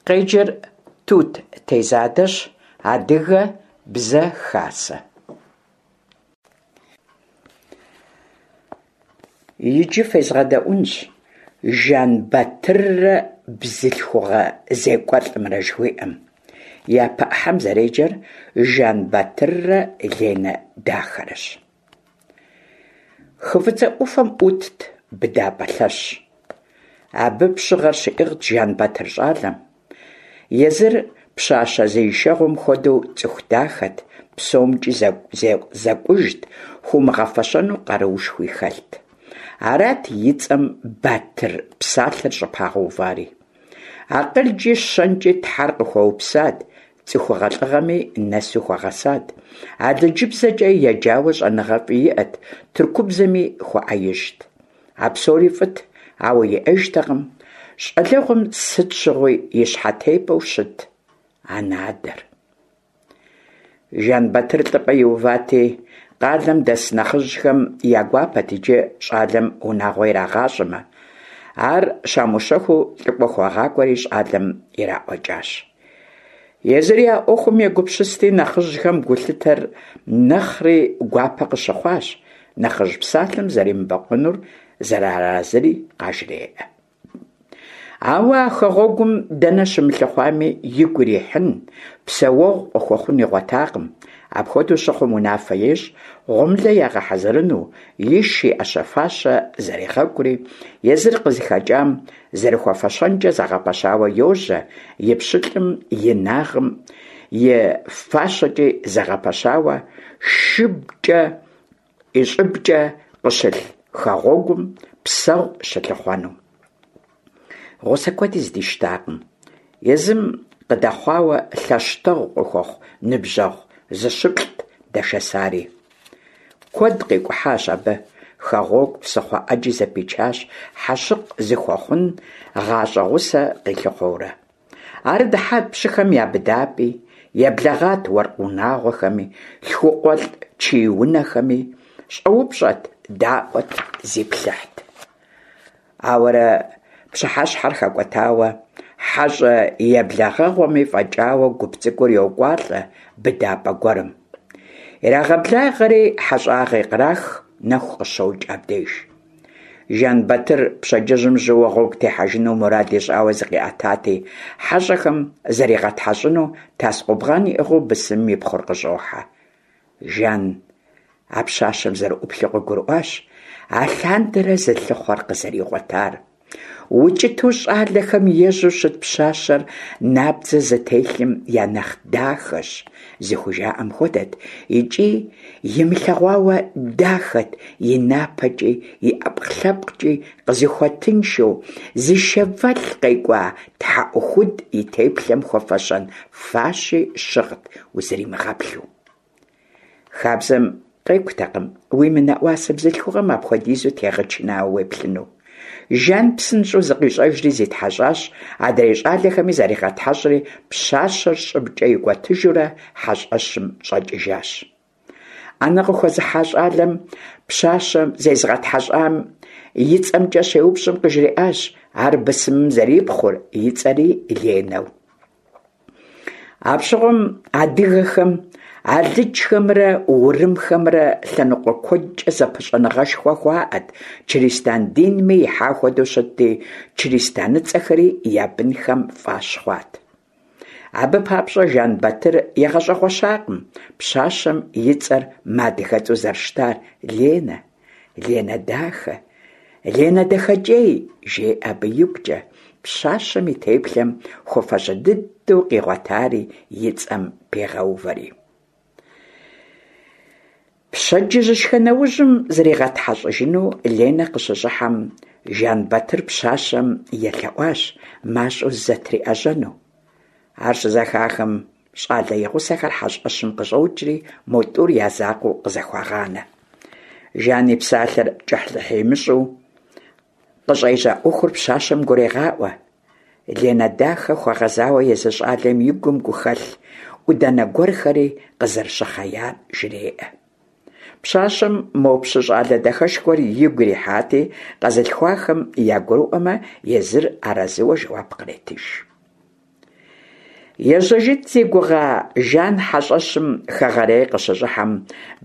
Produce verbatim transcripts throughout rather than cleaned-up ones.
Къеджэр Тут Тезадэщ, Адыгэ Бзэ Хасэ. Иджы фезгъэдэӏуэнщ «Жэнбатыррэ бзылъхугъэ зекӏуэлӏымрэ» жыхуиӏэм. Япэ ӏыхьэм зэреджэр «Жэнбатыррэ Ленэ дахэрэщ». Хы ФӀыцӀэ Ӏуфэм Ӏутт быдапӀэ лъэщ. Абы пщыгъэр щиӀыгът Жэнбатыр щӀалэм. Езыр пщащэ зи ишэгъуэм хуэдэу цӀыху дахэт, псомкӀи зэкӀужт, хуумыгъэфэщэну къаруушхуи хэлът. Арат и цӀэм «Батыр» псалъэр щӀыпагъэувари. АкъылкӀи щэнкӀи Тхьэр къыхуэупсат, цӀыхугъэ лӀыгъэми нэсу хуэгъэсат. АлыджыбзэкӀэ еджауэ щӀэныгъэфӀи иӀэт, тыркубзэми хуэӀэижьт. А псори фӀыт, ауэ иӀэжтэкъым щӀалэгъуэм сыт щыгъуи и щхьэтепӀэу щыт анэ-адэр. Жэнбатыр лӀыпӀэ иувати, къалэм дэс нэхъыжьхэм я гуапэт иджы щӀалэм унагъуэ ирагъащӀэмэ. Ар щамыущэхуу лӀыкӀуэ хуагъакӀуэри щӀалэм ираӀуэкӀащ. Езыри а Ӏуэхум егупсысти, нэхъыжьхэм гулъытэр нэхъри гуапэ къыщыхъуащ, нэхъыжь псалъэм зэремыбэкъуэнур, зэрыарэзыри къажреӀэ. Ауэ а хэгъуэгум дэнэ щымылъыхъуами, игу ирихьын, псэуэгъу къыхуэхъун игъуэтакъым. Апхуэдэу щыхъум, унафэ ещӀ гъуэмылэ ягъэхьэзырыну, иш, и Ӏэщэ-фащэ зэрегъэкӀури, езыр къызыхэкӀам зэрыхуэфэщэнкӀэ зэгъэпэщауэ йожьэ, и пщылӀым инагъым и фащэкӀи зэгъэпэщауэ, шыбкӀэ и щӀыбкӀэ къыщылъ хэгъуэгум псэгъу щылъыхъуэну. Гъусэ куэди здищтакъым. Езым къыдэхъуауэ лъэщтэгъу къыхуэхъу ныбжьэгъу зыщыплӀт дэшэсари. Куэд къикӀухьащ абы, хэгъуэгу, псыхъуэ Ӏэджи зэпичащ, хьэщыкъ зыхуэхъун гъащӀэ гъусэ къилъыхъуэурэ. Ар дыхьат пщыхэм я быдапӀи, еблэгъат уэркъ унагъуэхэми, лъхукъуэлӀ чий унэхэми, щӀэупщӀэт, даӀуэт, зиплъыхьт. Ауэрэ пщыхьэщхьэр хэкӀуэтауэ, хьэщӀэ еблэгъэгъуэми фӀэкӀауэ гуп цӀыкӀур йокӀуалӀэ быдапӀэ гуэрым. Ирагъэблагъэри хьэщӀагъи кърах, нэху къыщокӀ абдеж. Жэнбатыр пщэдджыжьым жьыуэ гъуэгу техьэжыну мурад ищӀауэ зыкъиӀэтати, хьэщӀэхэм заригъэтхьэщӀыну тас-къубгъан иӀыгъыу бысымым и пхъур къыщӀохьэ. Жан а пщащэм зэрыӀуплъэу къыгурыӀуащ алъандэрэ зылъыхъуэр къызэригъуэтар. УкӀытэу щӀалэхэм ежьэу щыт пщащэр набдзэ зытелъым я нэхъ дахэщ, зыхужаӀэм хуэдэт икӀи имылъэгъуауэ дахэт и напэкӀи, и ӀэпкълъэпкъкӀи къызыхуэтыншэу, зы шэвэлъ къекӀуа тхьэӀухуд и теплъэм хуэфэщэн фащи щыгът узримыгъэплъу. Хабзэм къекӀутэкъым уимынэӀуасэ бзылъхугъэм апхуэдизу тегъэчынауэ уеплъыну. Жан псынщӀэу зыкъищӀэжри зитхьэщӀащ, адрей щӀалэхэми заригъэтхьэщӀри, пщащэр щӀыбкӀэ икӀуэтыжурэ хьэщӀэщым щӀэкӀыжащ. Ӏэнэ къыхуэзыхьа щӀалэм пщащэм зезыгъэтхьэщӀам и цӀэмкӀэ щеупщӀым къыжриӀащ ар бысымым зэрипхъур, и цӀэри Ленэу. Апщыгъуэм адыгэхэм алыджхэмрэ урымхэмрэ лъэныкъуэ куэдкӀэ зэпыщӀэныгъэшхуэ хуаӀэт, чыристан динми ихьа хуэдэу щытти, чыристаныцӀэхэри я бынхэм фӀащ хъуат. Абы папщӀэ Жэнбатыр игъэщӀэгъуэщакъым пщащэм и цӀэр мыадыгэцӀэу зэрыщытар: Ленэ, Ленэ дахэ, Ленэ дахэкӀей, жеӀэ абы игукӀэ, пщащэм и теплъэм хуэфащэ дыдэу къигъуэтари и цӀэм пегъэувэри. Пщэдджыжьышхэ нэужьым зригъэтхьэщӀыжыну Ленэ къыщыщӀыхьэм, Жэнбатыр пщащэм елъэӀуащ мащӀэу зызэтриӀэжьэну. Ар щызэхахым, щӀалэ и гъусэхэр хьэщӀэщым къыщӀокӀри, мо тӀур я закъуэу къызэхуагъанэ. Жан и псалъэр кӀыхьлӀыхь имыщӀу къыщӀежьа Ӏуэхур пщащэм гурегъаӀуэ. Ленэ дахэ хуэгъэзауэ езы щӀалэм и гум гухэлъ Ӏуданэ гуэрхэри къызэрыщыхъеяр жреӀэ. Пщащэм мо пщы щӀалэ дахэшхуэр игу ирихьати, къэзылъхуахэм ягурыӀуэмэ, езыр арэзыуэ жэуап къретыж. Ежьэжынт зи гугъа Жан хьэщӀэщым хэгъэрейр къыщыщӀыхьэм,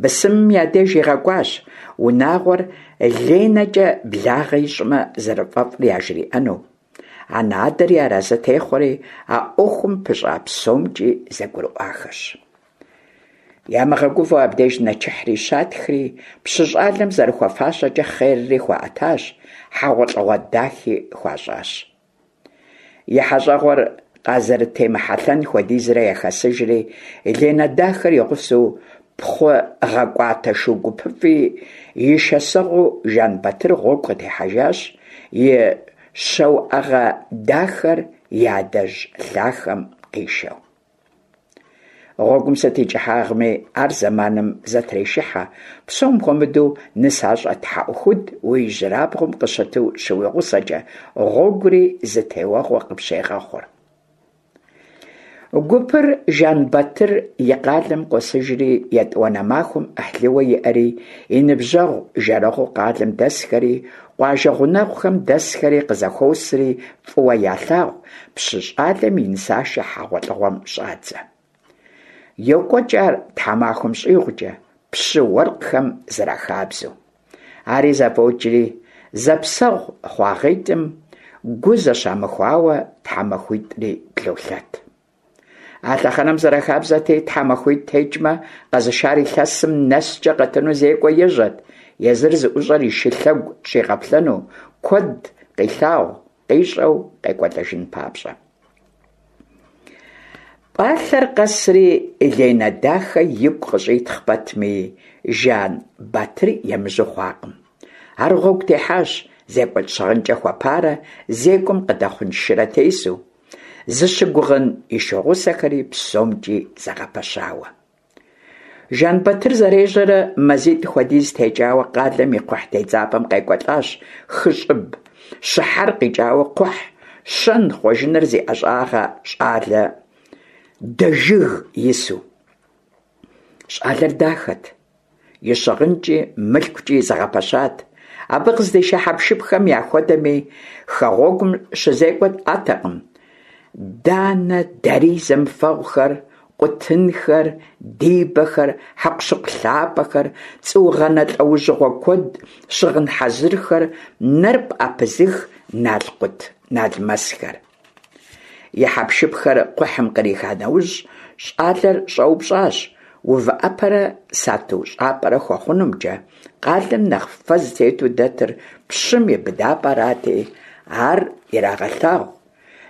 бысымым я деж игъэкӀуащ, унагъуэр ЛенэкӀэ благъэ ищӀмэ зэрыфӀэфӀыр яжриӀэну. Анэ-адэри арэзы техъуэри, а Ӏуэхум пыщӀа псомкӀи зэгурыӀуахэщ. Ямыгъэгувэу абдеж нэчыхьри щатхри, пщы щӀалэм зэрыхуэфащэкӀэ хъерри хуаӀэтащ, хьэгъуэлӀыгъуэ дахи хуащӀащ. И хьэщӀэгъуэр къазэрытемыхьэлъэн хуэдизрэ яхэсыжри, Ленэ дахэр и гъусэу, пхъу гъэкӀуатэ шу гупыфӀи и шэсэгъуу Жэнбатыр гъуэгу къытехьэжащ, и щэуӀэгъэ дахэр и адэжь лъахэм къишэу. Гъуэгум сыт и кӀыхьагъми, ар зэманым зэтрешыхьэ, псом хуэмыдэу нысащӀэ тхьэӀухуд уи ижьырабгъум къыщыту щыуигъусэкӀэ, гъуэгури зы теуэгъуэ къыпщегъэхъур. Гупыр Жэнбатыр и къалэм къосыжри, етӀуанэ махуэм Ӏыхьлыуэ иӀэри, и ныбжьэгъу-жэрэгъуу къалэм дэсхэри, къуажэ гъунэгъухэм дэсхэри къызэхуосри, фӀыуэ ялъагъу пщы щӀалэм и нысашэ хьэгъуэлӀыгъуэм щӀадзэ. ЙокӀуэкӀ ар тхьэмахуэм щӀигъукӀэ, пщы-уэркъхэм зэрахабзэу. Ари зэфӀокӀри, зэпсэгъу хъуагъитӀым гу зэщамыхуауэ тхьэмахуитӀри блолъэт. А лъэхъэнэм зэрахабзэти, тхьэмахуитӀ текӀмэ, къэзышар илъэсым нэскӀэ къэтыну зекӀуэ ежьэрт, езыр зыӀущӀэр и шы лъэгу щӀигъэплъэну, куэд къилъагъу, къищӀэу къекӀуэлӀэжын папщӀэ. ПӀалъэр къэсри, Ленэ дахэ игу къыщӀитхъ пэтми, Жэнбатыр емыжьэу хъуакъым. Ар гъуэгу техьащ зекӀуэлӀ щыгъынкӀэ хуэпарэ зекӀуэм къыдэхъун шырэ тесу, зыщыгугъын и шугъусэхэри псомкӀи зэгъэпэщауэ. Жэнбатыр зэрежьэрэ мазитӀ хуэдиз текӀауэ къалэм и кхъухь тедзапӀэм къекӀуэлӀащ хы щӀыб щыхьэр къикӀауэ кхъухь щэн-хъуэжыныр зи ӀэщӀагъэ щӀалэ Дэжыг ису. ЩӀалэр дахэт, и щыгъынкӀи мылъкукӀи зэгъэпэщат. Абы къыздиша хьэпшыпхэм яхуэдэми хэгъуэгум щызекӀуэ Ӏэтэкъым: данэ, дарий зэмыфэгъухэр, къутынхэр, дибэхэр, хьэкъущыкъу лъапӀэхэр, цӀуугъэнэ лӀэужьыгъуэ куэд, щыгъын хьэзырхэр, нэр пӀэпызых налкъут-налмэсхэр. И хьэпшыпхэр кхъухьым къриха нэужь, щӀалэр щӀэупщӀащ увыӀэпӀэрэ сату щӀапӀэрэ хуэхъунумкӀэ, къалэм нэхъ фэ зытету дэтыр пщым и быдапӀэрати, ар ирагъэлъагъу.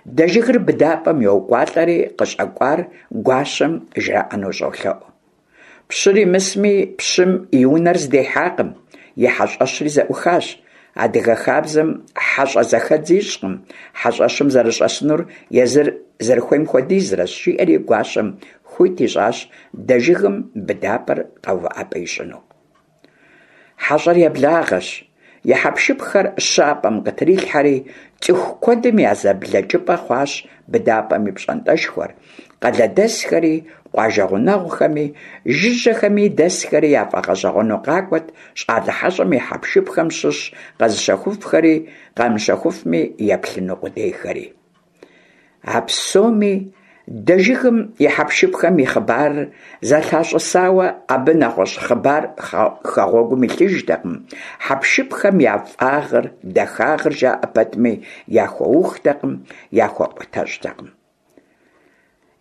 Дэжыгыр быдапӀэм йокӀуалӀэри, къыщӀэкӀуар гуащэм жраӀэну щӀолъэӀу. Пщыр имысми, пщым и унэр здихьакъым, и хьэщӀэщри зэӀухащ. Адыгэ хабзэм хьэщӀэ зэхэдз ищӀкъым, хьэщӀэщым зэрыщӀэсынур езыр зэрыхуейм хуэдизрэщ, жиӀэри гуащэм хуит ищӀащ Дэжыгым быдапӀэр къэувыӀэпӀэ ищӀыну. ХьэщӀэр еблагъэщ, и хьэпшыпхэр щапӀэм къытрилъхьэри, цӀыху куэдым я зэблэкӀыпӀэ хъуащ быдапӀэм и пщӀантӀэшхуэр, къалэдэсхэри, къуажэ гъунэгъухэми, жыжьэхэми дэсхэри яфӀэгъэщӀэгъуэну къакӀуэт щӀалэ хьэщӀэм и хьэпшыпхэм щыщ къэзыщэхуфхэри, къамыщэхуфми еплъыну къудейхэри. А псоми Дэжыгым и хьэпшыпхэм и хъыбарыр зэлъащӀысауэ, абы нэгъуэщӀ хъыбар хэгъуэгум илъыжтэкъым, хьэпшыпхэм я фӀагъыр, дахагъыр жаӀэ пэтми, яхуэухтэкъым, яхуэӀуэтэщӀтэкъым.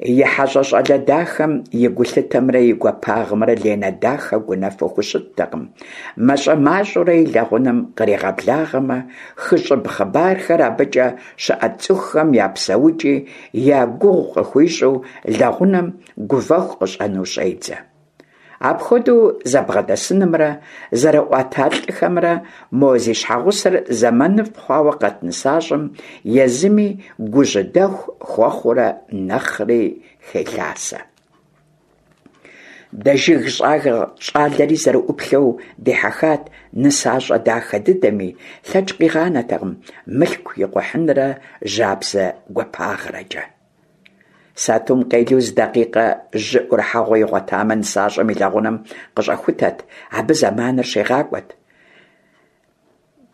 И хьэщӀэ щӀалэ дахэм и гулъытэмрэ и гуапагъымрэ Ленэ дахэ гунэфу хущыттэкъым. МащӀэ-мащӀэурэ и лэгъунэм къригъэблагъэмэ, хы щӀыб хъыбархэр, абыкӀэ щыӀэ цӀыхухэм я псэукӀи я гугъу къыхуищӀу, лэгъунэм гувэху къыщӀэнэу щӀедзэ. Апхуэдэу зэбгъэдэсынымрэ зэрыӀуата лӀыхэмрэ мо зи щхьэгъусэр зэманыфӀ хъуауэ къэт нысащӀэм езыми гужьыдэху хуэхъуурэ нэхъри хелъасэ. Дэжыг щӀалэри зэрыӀуплъэу дихьэхат нысащӀэ дахэ дыдэми, лъэкӀ къигъанэтэкъым мылъку икъухьынрэ жьабзэ гуапагърэкӀэ. Сатум къелу зы дакъикъэ жьы Ӏурыхьэгъуэ игъуэтамэ, нысащӀэм и лэгъунэм къыщӀэхутэт, абы зэманыр щигъакӀуэт.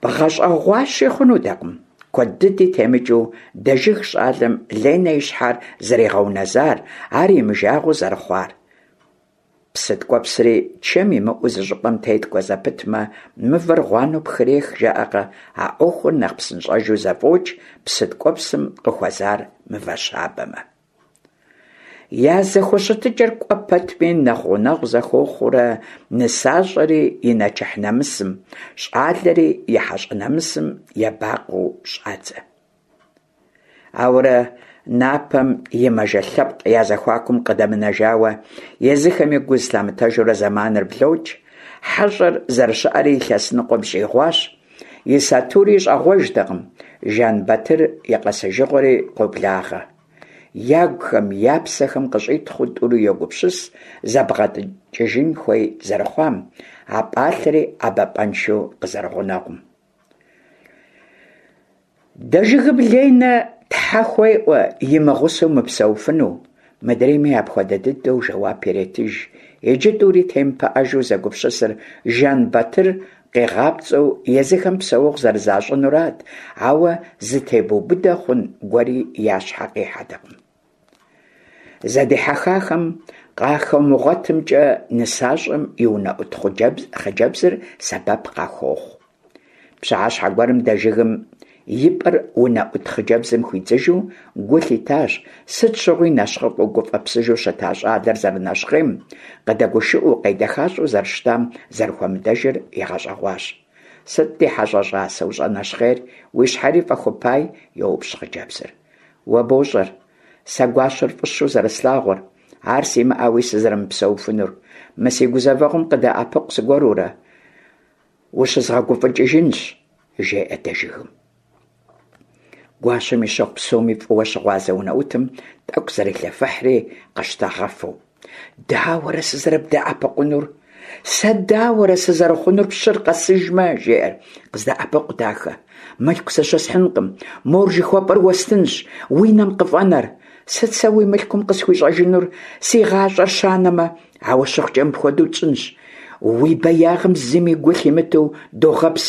БгъэщӀэгъуащи хъунутэкъым. Куэд дыди темыкӀыу Дэжыг щӀалэм Ленэ и щхьэр зэригъэунэзар, ар имыжагъуэу зэрыхъуар. Псы ткӀуэпсри чэм имыӀэу зы щӀыпӀэм теткӀуэ зэпытмэ, мывэр гъуанэу пхрех, жаӀэркъэ, а Ӏуэхур нэхъ псынщӀэжу зэфӀокӀ, псы ткӀуэпсым къыхуэзар мывэ щабэмэ. Я зэхущытыкӀэр кӀуэ пэтми нэхъ гъунэгъу зэхуэхъуурэ, нысащӀэри и нэчыхь нэмысым, щӀалэри и хьэщӀэ нэмысым ебакъуэу щӀадзэ. Ауэрэ напэм и мажэ лъэпкъ я зэхуакум къыдэмынэжауэ, езыхэми гу зылъамытэжурэ зэманыр блокӀ, хьэщӀэр зэрыщыӀэри илъэс ныкъуэм щӀигъуащ, и сатури щӀагъуэжтэкъым, Жэнбатыр и къэсыжыгъуэри къоблагъэ. Ягухэм, я псэхэм къыщӀитхъыу тӀури йогупсыс зэбгъэдэкӀыжын хуей зэрыхъуам, а пӀалъэри ӀэбапӀэншэу къызэрыгъунэгъум. Дэжыгым Ленэ тхьэ хуеӀуэ имыгъусэу мыпсэуфыну, мыдрейми апхуэдэ дыдэу жэуап иретыж. Иджы тӀури темыпыӀэжу зэгупсысыр Жэнбатыр къигъапцӀэу езыхэм псэуэгъу зэрызащӀынурат, ауэ зытебубыдэ хъун гуэри я щхьэ къихьэртэкъым. Зэдихьэхахэм къахуэмыгъуэтымкӀэ нысащӀэм и унэӀут хъыджэбзыр сэбэп къахуохъу. Пщыхьэщхьэ гуэрым Дэжыгым и пӀэр унэӀут хъыджэбзым хуидзыжу гу лъитащ сыт щыгъуи нэщхъыфӀэу гуфӀэпсыжу щыта щӀалэр зэрынэщхъейм, къыдэгушыӀэу, къедэхащӀэу зэрыщытам зэрыхуэмыдэжыр игъэщӀэгъуащ. «Сыт, ди хьэщӀэ щӀасэ, ущӀэнэщхъейр, уи щхьэри фӀэхупай?» – йоупщӀ хъыджэбзыр. «Уэ бощӀэр, сэ гуащэр фӀыщэу зэрыслъагъур, ар симыӀэуи сызэрымыпсэуфынур. Мы си гузэвэгъуэм къыдэӀэпыкъу зыгуэрурэ, ущызгъэгуфӀыкӀыжынщ», – жеӀэ Дэжыгым. Гуащэм и щэху псоми фӀыуэ щыгъуазэ унэӀутым тӀэкӀу зрелъэфыхьри къыщтагъэфэу. «Дауэрэ сызэрыбдэӀэпыкъунур? Сэ дауэрэ сызэрыхъунур пщыр къэсыжмэ?» – жеӀэр. «КъыздэӀэпыкъу, дахэ, мылъку зыщысхьынкъым, мор жыхуэпӀэр уэстынщ, уи нэм къыфӀэнэр. Сыт сэ уи мылъкум къысхуищӀэжынур, си гъащӀэр щанэмэ? Ауэ щыхъукӀэ мыпхуэдэу тщӀынщ. Уи беягъым зыми гу лъимытэу догъэпс.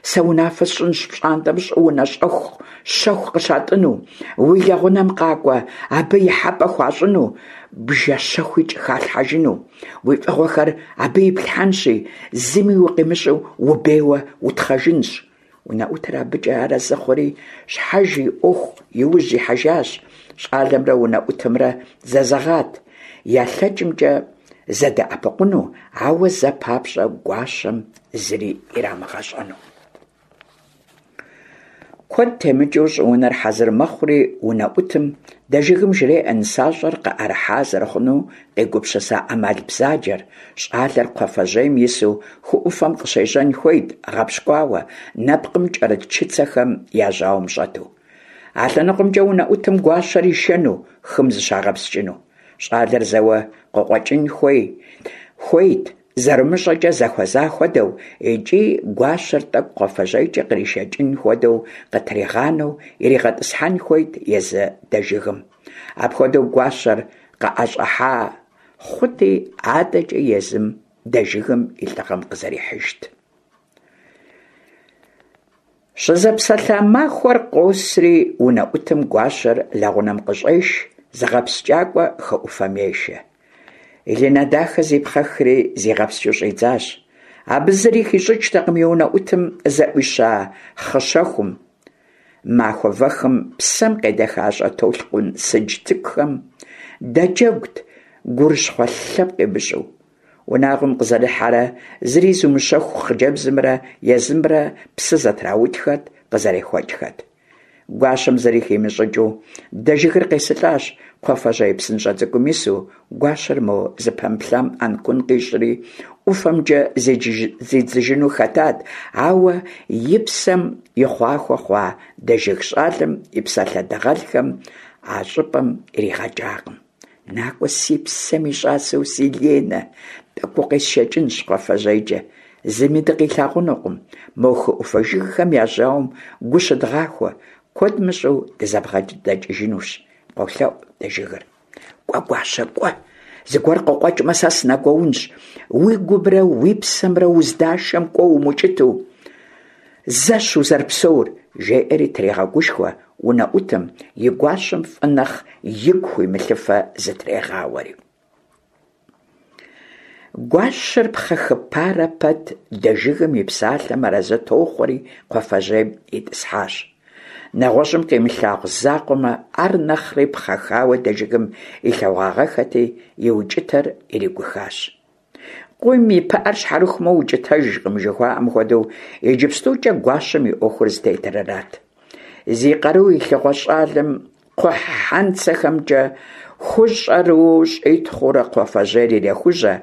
Сэ унафэ сщӀынщ пщӀантӀэм щӀыунэ щӀэху щэху къыщатӀыну, уи лэгъунэм къакӀуэ абы ихьэпӀэ хуащӀыну, бжэ щэхуикӀ халъхьэжыну. Уи фӀыгъуэхэр абы иплъхьэнщи, зыми укъимыщӀэу убейуэ утхъэжынщ». УнэӀутыр абыкӀэ арэзы хъури, щхьэж и Ӏуэху иужь ихьэжащ. ЩӀалэмрэ унэӀутымрэ зэзэгъат ялъэкӀымкӀэ зэдэӀэпыкъуну, ауэ зэ папщӀэ гуащэм зыри ирамыгъэщӀэну. Куэд темыкӀыу щӀыунэр хьэзыр мэхъури, унэӀутым Дэжыгым жреӀэ нысащӀэр къыӀэрыхьа зэрыхъуну къигупсыса Ӏэмал бзаджэр. ЩӀалэр кхъуафэжьейм ису хы Ӏуфэм къыщежьэн хуейт, гъэпщкӀуауэ, нэпкъым кӀэрыт чыцэхэм я жьауэм щӀэту. А лъэныкъуэмкӀэ унэӀутым гуащэр ишэну, хым зыщагъэпскӀыну. ЩӀалэр зэуэ къыкъуэкӀын хуей хуейт, зэрымыщӀэкӀэ зэхуэза хуэдэу, икӀи гуащэр тӀэкӀу кхъуафэжьейкӀэ къришэкӀын хуэдэу къытригъанэу иригъэтӀысхьэн хуейт езы Дэжыгым. Апхуэдэу гуащэр къыӀэщӀыхьа хъути, адэкӀэ езым Дэжыгым и лӀыгъэм къызэрихьыжт. Щызэпсэлъа махуэр къосри, унэӀутым гуащэр лэгъунэм къыщӀеш, зыгъэпскӀакӀуэ хы Ӏуфэм ешэ. Ленэ дахэ зипхъэхри зигъэпскӀыу щӀидзащ. Абы зыри хищӀыкӀтэкъым и унэӀутым зэӀуища хъы щэхум. Махуэ вэхым псэм къедэхащӀэ толъкъун сыдж цӀыкӀухэм дэджэгут, гурыщхъуэ лъэпкъ имыщӀу. Унагъуэм къызэрыхьэрэ зыри зымыущэху хъыджэбзымрэ езымрэ псы зэтраутхэт, къызэрехуэкӀхэт. Гуащэм зыри химыщӀыкӀыу Дэжыгыр къесылӀащ кхъуафэжьей псынщӀэ цӀыкӀум ису, гуащэр мо зыпэмыплъам Ӏэнкун къищӀри, ӀуфэмкӀэ зидзыжыну хэтат, ауэ и псэм и хъуахуэ хъуа Дэжыг щӀалэм и псалъэ дыгъэлхэм а щӀыпӀэм иригъэкӀакъым. «НакӀуэ, си псэм и щӀасэу си Ленэ, тӀэкӀу укъесшэкӀынщ кхъуафэжьейкӀэ, зыми дыкъилъагъунукъым, мо хы Ӏуфэ жыгхэм я жьауэм гу щыдгъахуэ, куэд мыщӀэу дызэбгъэдэкӀыжынущ», – къолъэӀу Дэжыгыр. «КӀуэ, гуащэ, кӀуэ, зыгуэр къыкъуэкӀмэ, сэ сынэгуэунщ, уи гумрэ уи псэмрэ уздашэм кӀуэ умукӀыту». Зэщ узэрыпсэур, жеӏэри трегъэгушхуэ унэӏутым, и гуащэм фӏы нэхъ игу хуимылъыфэ зытрегъауэри. Гуащэр пхъэхыпарэ пэт Дэжыгым и псалъэм арэзы тохъуэри кхъуафэжьейм итӏысхьащ. Нэгъуэщӏым къимылъагъу закъуэмэ, ар нэхъри пхъэхауэ Дэжыгым илъэгъуагъэххэти, и укӏытэр иригухащ. Къуийм и пыӏэр щхьэрыхумэ укӏытэжкъым, жыхуаӏэм хуэдэу, иджыпстукӏэ гуащэм и ӏуэхур зытетыр арат. Зи къару илъыгъуэ щӏалэм кхъухь хьэнцэхэмкӏэ хущӏэрыуэу щӏитхъыурэ кхъуафэжьейр ирехужьэ,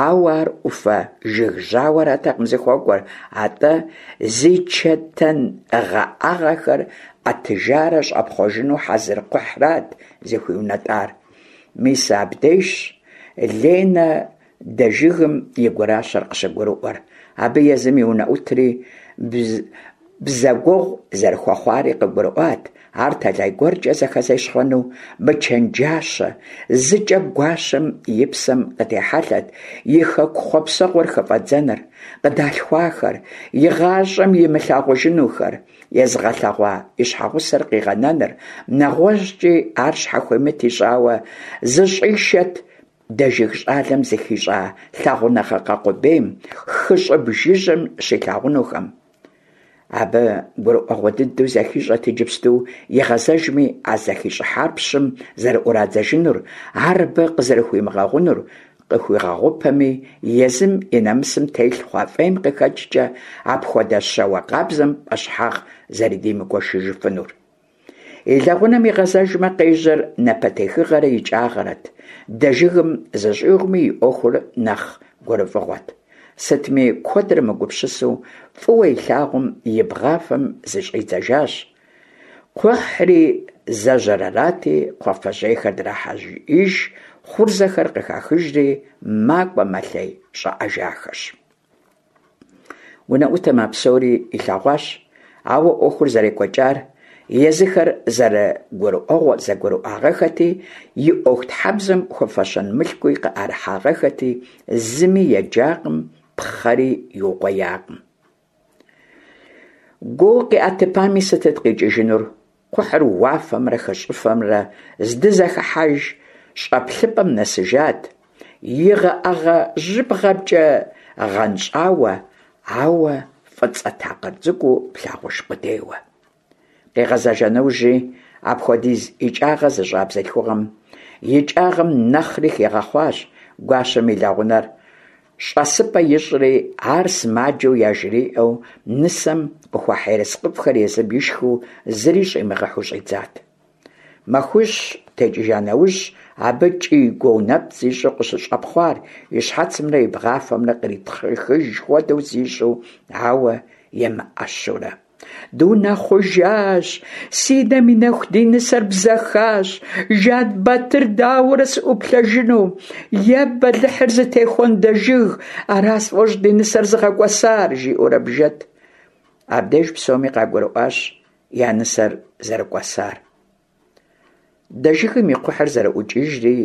ауэ ар ӏуфэ жыг жьауэратэкъым зыхуэкӏуэр, атӏэ зи чэтэн гъэӏэгъэхэр ӏэтыжарэ щӏэпхъуэжыну хьэзыр кхъухьрат зыхуиунэтӏар. Мис абдежщ Ленэ Дэжыгым и гуращэр къыщыгурыӏуэр. Абы езым и унэӏутри бзэгуэгъу зэрыхуэхъуари къыгурыӏуат, ар тэлай гуэркӏэ зэхэзещхъуэну мычэнджащэ, зыкӏэ гуащэм и псэм къытехьэлъэт и хэку хъуэпсэгъуэр хыфӏэдзэныр, къыдалъхуахэр, игъащӏэм имылъагъужынухэр езыгъэлъэгъуа и щхьэгъусэр къигъэнэныр, нэгъуэщӏкӏи ар щхьэхуимыт ищӏауэ зыщӏишэт Дэжыг щӏалэм зыхищӏа лъагъуныгъэ къэкъубейм, хы щӏыб жыжьэм щилъагъунухэм. Абы гурыӏуэгъуэ дыдэу зэхищӏэт иджыпсту игъэзэжми, а зэхищӏыхьар пщым зэрыӏурадзэжынур, ар абы къызэрыхуимыгъэгъунур, къыхуигъэгъупэми, езым и нэмысым телъ хъуа фӏейм къыхэкӏкӏэ апхуэдэ щауэ къабзэм пӏэщхьагъ зэрыдимыгуэшыжыфынур. И лэгъунэм игъэзэжмэ, къежьэр напэтехыгъэрэ икӏагъэрэт, Дэжыгым зыщӏигъуми и ӏуэхур нэхъ гурыфӏыгъуэт. Сытми, куэдрэ мыгупсысэу, фӏыуэ илъагъум и бгъафэм зыщӏидзэжащ. Кхъухьри зэжьэр арати, кхъуафэжьейхэр драхьеиж, хъурзэхэр къыхахыжри, макӏуэ-мэлъей, щӏэӏэжахэщ. Унэӏутым а псори илъэгъуащ, ауэ ӏуэхур зэрекӏуэкӏар езыхэр зэрыгурыӏуэгъуэ зэгурыӏуагъэхэти, и ӏуэхутхьэбзэм хуэфэщэн мылъкуи къыӏэрыхьагъэхэти, зыми еджакъым, пхъэри иукъуеякъым. Гуо къиӏэтыпами сытыт къикӏыжынур? Кхъухьыр уафэмрэ хы щӏыфэмрэ здызэхыхьэж щӏэплъыпӏэм нэсыжат, игъэӏэгъэ жьыбгъэмкӏэ гъэнщӏауэ, ауэ фӏыцӏэ такъыр цӏыкӏуу плъагъуж къудейуэ. Къигъэзэжа нэужьи, апхуэдиз икӏагъэ зыщӏа бзылъхугъэм икӏагъэм нэхъри хигъэхъуащ, гуащэм и лэгъунэр щӏэсыпӏэ ищӏри, ар сымаджэу яжриӏэу нысэм къыхуахь ерыскъыфӏхэр езым ишхыу зыри щӏимыгъэхьэу щӏидзат. Махуищ текӏыжа нэужь, абы кӏий-гуо нэпцӏ ищӏу къыщыщӏэпхъуар, и щхьэцымрэ и бгъафэмрэ къритхъыхыж хуэдэу зищӏу, ауэ емыӏэщурэ. Дунэхъужащ, си нэм и нэху ди нысэр бзэхащ, Жан-Батыр дауэрэ сыӏуплъэжыну? Е бэлыхьыр зытехуэн Дэжыг, ара сфӏощӏ ди нысэр зыгъэкӏуэсар, жиӏэурэ бжэт. Абдеж псоми къагурыӏуащ я нысэр зэрыкӏуэсар. Дэжыгым и кхъухьыр зэрыӏукӏыжри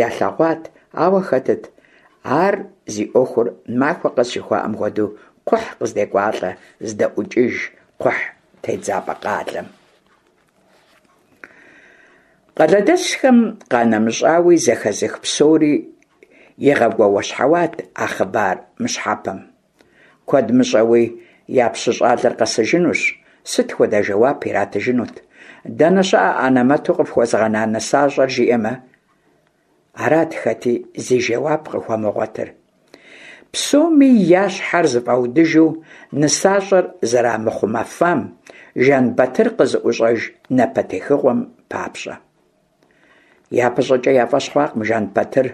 ялъэгъуат, ауэ хэтыт ар зи ӏуэхур махуэ къэс жыхуаӏэм хуэдэу кхъухь къыздекӏуалӏэ, здэӏукӏыж кхъухь тедзапӏэ къалэм. Къалэдэсхэм къанэмыщӏауи, зэхэзых псори игъэгуауэщхьэуат а хъыбар мыщхьэпэм. Куэд мыщӏэуи я пщы щӏалэр къэсыжынущ, сыт хуэдэ жэуап иратыжынут? Дэнэ щыӏэ анэмэту къыфхуэзгъэна нысащӏэр, жиӏэмэ? Арат хэти зи жэуап къыхуэмыгъуэтыр. Псоми я щхьэр зэфӏаудыжу нысащӏэр зэрамыхъумэфам, Жан-Батыр къызыӏущӏэж напэтехыгъуэм папщӏэ. Япэщӏыкӏэ я фӏэщ хъуакъым Жан-Батыр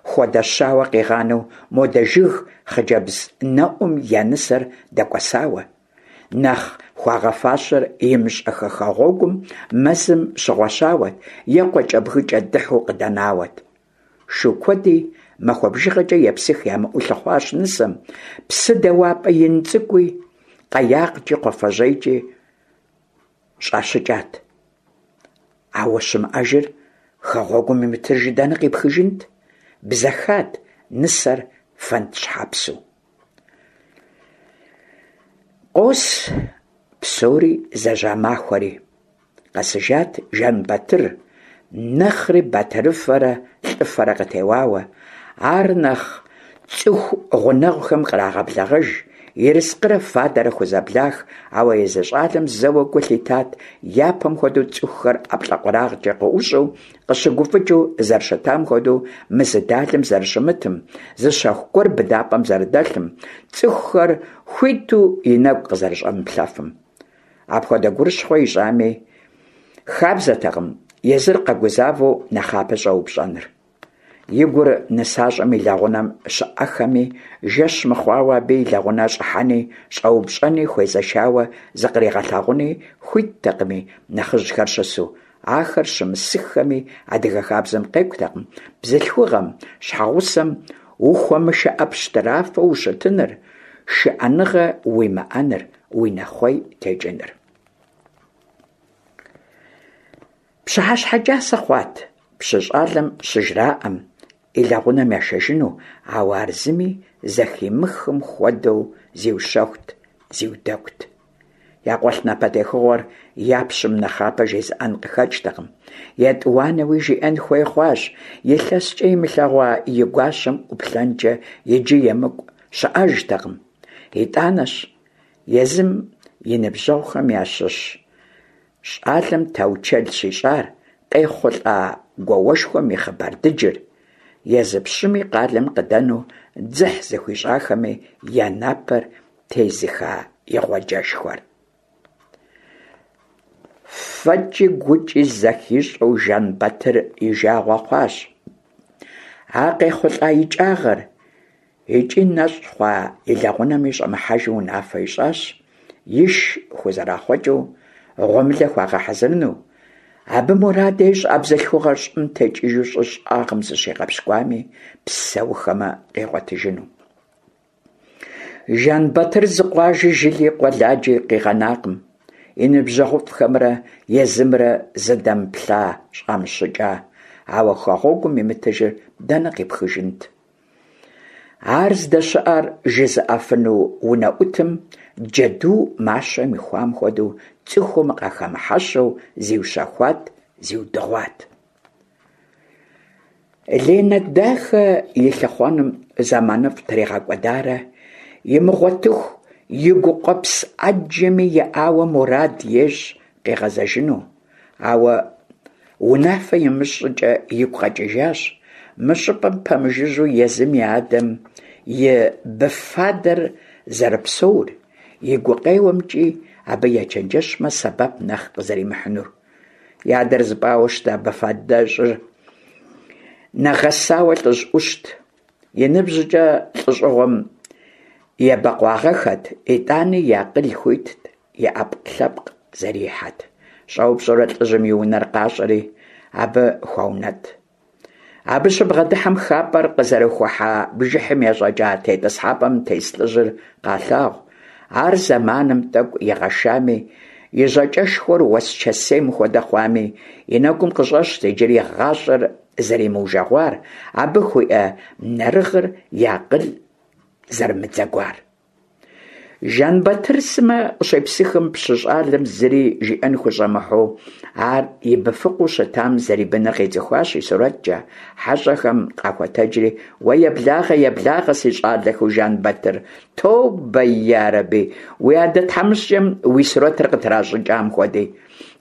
хуэдэ щауэ къигъанэу мо Дэжыг хъыджэбз нэӏум я нысэр дэкӏуэсауэ. Нэхъ хуагъэфащэр имыщӏэххэ хэгъуэгум мэзым щыгъуэщауэт е къуакӏэбгыкӏэ дыхьу къыдэнауэт. Шу куэди махуэ бжыгъэкӏэ епсых ямыӏэу лъыхъуащ нысэм, псы дэуапӏэ ин цӏыкӏуи, къаяккӏи, кхъуафэжьейкӏи щӏащыкӏат. Ауэ щымыӏэжыр хэгъуэгум имытыжыр дэнэ къипхыжынт? Бзэхат нысэр фэнд щхьэпсу. Къос Псори зэжьа махуэри. Къэсыжат Жэнбатыр, нэхъри батырыфэрэ лӏыфэрэ къытеуауэ. Ар нэхъ цӏыху гъунэгъухэм кърагъэблэгъэж, ерыскъырэ фадэрэ хузэблах, ауэ езы щӏалэм зэуэ гу лъитат япэм хуэдэу цӏыхухэр ӏэплӏэкъурагъкӏэ къыӏущӏэу, къыщыгуфӏыкӏыу зэрыщытам хуэдэу мы зы далэм зэрыщымытым, зы щэху гуэр быдапӏэм зэрыдэлъым, цӏыхухэр хуиту и нэгу къызэрыщӏэмыплъэфым. Апхуэдэ гурыщхъуэ ищӏами, хабзэтэкъым езыр къэгузавэу нэхъапэ щӏэупщӏэныр. И гур нысащӏэм и лэгъунэм щыӏэхэми, жэщ мыхъуауэ абы и лэгъунэ щӏыхьэни, щӏэупщӏэни, хуезэшауэ зыкъригъэлъагъуни хуиттэкъыми, нэхъыжьхэр щысу. Ахэр щымысыххэми, адыгэ хабзэм къекӏутэкъым бзылъхугъэм, щхьэгъусэм ухуэмышыӏэ пщтырафэу ущытыныр, шыӏэныгъэ уимыӏэныр, уи нэхъуей текӏыныр. Пщыхьэщхьэ кӏасэ хъуат пщы щӏалэм щыжраӏэм и лэгъунэм яшэжыну, ауэ ар зыми зэхимыхым хуэдэу зиущэхут, зиудэгут. Я къуэлъ напэтехыгъуэр я пщым нэхъапэ жезыӏэн къыхэкӏтэкъым. Етӏуанэуи жиӏэн хуей хъуащ, илъэскӏэ имылъэгъуа и гуащэм ӏуплъэнкӏэ иджы емыкӏу щыӏэжтэкъым. Итӏанэщ езым и ныбжьэгъухэм ящыщ щӏалэм таучэл щищӏар, къехъулӏа гуауэшхуэм и хъыбар дыджыр, езы пщыми къалэм къыдэну дзыхь зыхуищӏахэми я напэр тезыха игъуэджэшхуэр. Фэкӏи гукӏи зэхищӏэу Жэнбатыр и жагъуэ хъуащ а къехъулӏа икӏагъэр, икӏи нэщӏ хъуа и лэгъунэми щӏэмыхьэжу унафэ ищӏащ, иш хузэрахъуэкӏыу гъуэмылэ хуагъэхьэзырыну. Абы мурад ещӏ а бзылъхугъэр щӏым текӏыжу щӏы щӏагъым зыщигъэпщкӏуами, псэухэмэ къигъуэтыжыну. Жэнбатыр зы къуажи, жыли, къуэладжи къигъэнакъым, и ныбжьэгъуфӏхэмрэ езымрэ зыдэмыплъа, щӏамыщыкӏа, ауэ хэгъуэгум имытыжыр дэнэ къипхыжынт? Ар здэщыӏэр жызыӏэфыну унэӏутым джэду мащэм ихуам хуэдэу цӏыхум къахэмыхьэщэу зиущэхуат, зиудыгъуат. Ленэ дахэ и лъыхъуэным зэманыфӏ тригъэкӏуэдарэ имыгъуэтыху и гукъуэпс ӏэджэми еӏауэ мурад ещӏ къигъэзэжыну. Ауэ унафэ имыщӏ щӏыкӏэ игу къэкӏыжащ мы щӏыпӏэм пэмыжыжьэу езым и адэм и быфадэр зэрыпсэур, и гукъеуэмкӏи абы ечэнджэщмэ, сэбэп нэхъ къызэримыхьынур. И адэр зыпӏауэ щыта быфадэщӏыр нэгъэсауэ лӏыжь ӏущт. И ныбжькӏэ лӏыщӏыгъуэм ебэкъуагъэххэт, итӏани и акъыл хуитт, и ӏэпкълъэпкъ зэрихьэт. Щӏэупщӏэурэ лӏыжьым и унэр къащӏэри, абы хуаунэтӏ. Абы щыбгъэдыхьэм хапӏэр къызэрыхухьа бжыхьым ещӏэкӏа тетӏысхьэпӏэм тес лӏыжьыр къалъагъу. Ар зэманым тӏэкӏу игъэшами, и жьакӏэшхуэр уэсчэсейм хуэдэ хъуами, и нэгум къыщӏэщт иджыри гъащӏэр зэримыужэгъуар, абы хуиӏэ нэрыгъыр и акъыл зэрымыдзэгуар. Жэнбатыр сымэ къыщепсыхым, пщы щӏалэм зыри жиӏэн хущӏэмыхьэу, ар и быфыкъуу щытам зэрибыныр къицӏыхуащ и сурэткӏэ. Хьэщӏэхэм къахуэтэджри: «Уэ еблагъэ, еблагъэ, си щӏалэхэу Жэнбатыр, тобэ ярэби, уи адэ тхьэмыщкӏэм уи сурэтыр къытращӏыкӏам хуэди.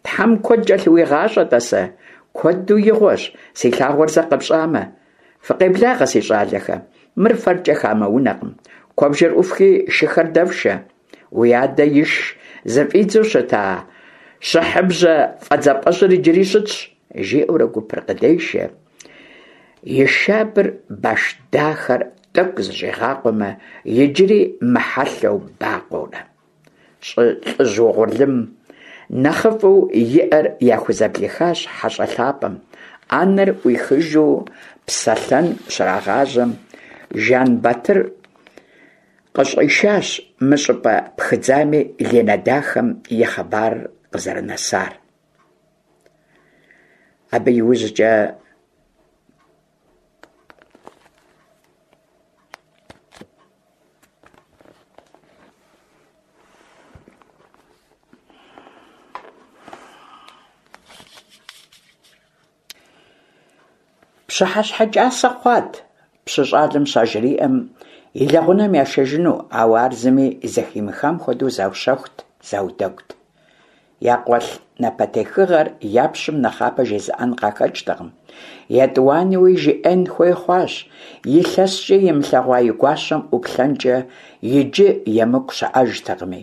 Тхьэм куэд кӏэлъыуигъащӏэ, тӏасэ, куэду игъуэщ, си лъагъуэр зэ къэпщӏамэ. Фыкъеблагъэ, си щӏалэхэ, мыр фэркӏэ хамэ унэкъым. Куэбжэр ӏуфхи, шыхэр дэфшэ. Уи адэ иш зыфӏидзэу щыта щыхьыбжьэ фӏэдзапӏэжьыр иджыри щытщ», жиӏэурэ гупыр къыдешэ. И шабэр баш дахэр тӏэкӏу зыщӏигъакъуэмэ, иджыри мыхьэлъэу бакъуэурэ. Лӏыжь угъурлым нэхъыфӏу иӏэр яхузэблихащ хьэщӏэ лъапӏэм. Ӏэнэр ӏуихыжу псэлъэн щрагъажьэм, Жэнбатыр къыщӏишащ мы щӏыпӏэ пхыдзами Ленэ дахэм и хъыбарыр къызэрынэсар. Абы иужькӏэ Пщыхьэщхьэ кӀасэ хъуат пщы щӀалэм щажриӀэм, и лэгъунэм яшэжыну, ауэ ар зыми зэхимыхам хуэдэу заущэхут, заудэгут. Якъуэлъ напэтехыгъэр я пщым нэхъапэ жезыӀэн къахэкӀтэкъым. ЕтӀуанэуи жиӀэн хуей хъуащ, илъэскӀэ имылъэгъуа и гуащэм ӀуплъэнкӀэ иджы емыкӀу щыӀэжтэкъыми.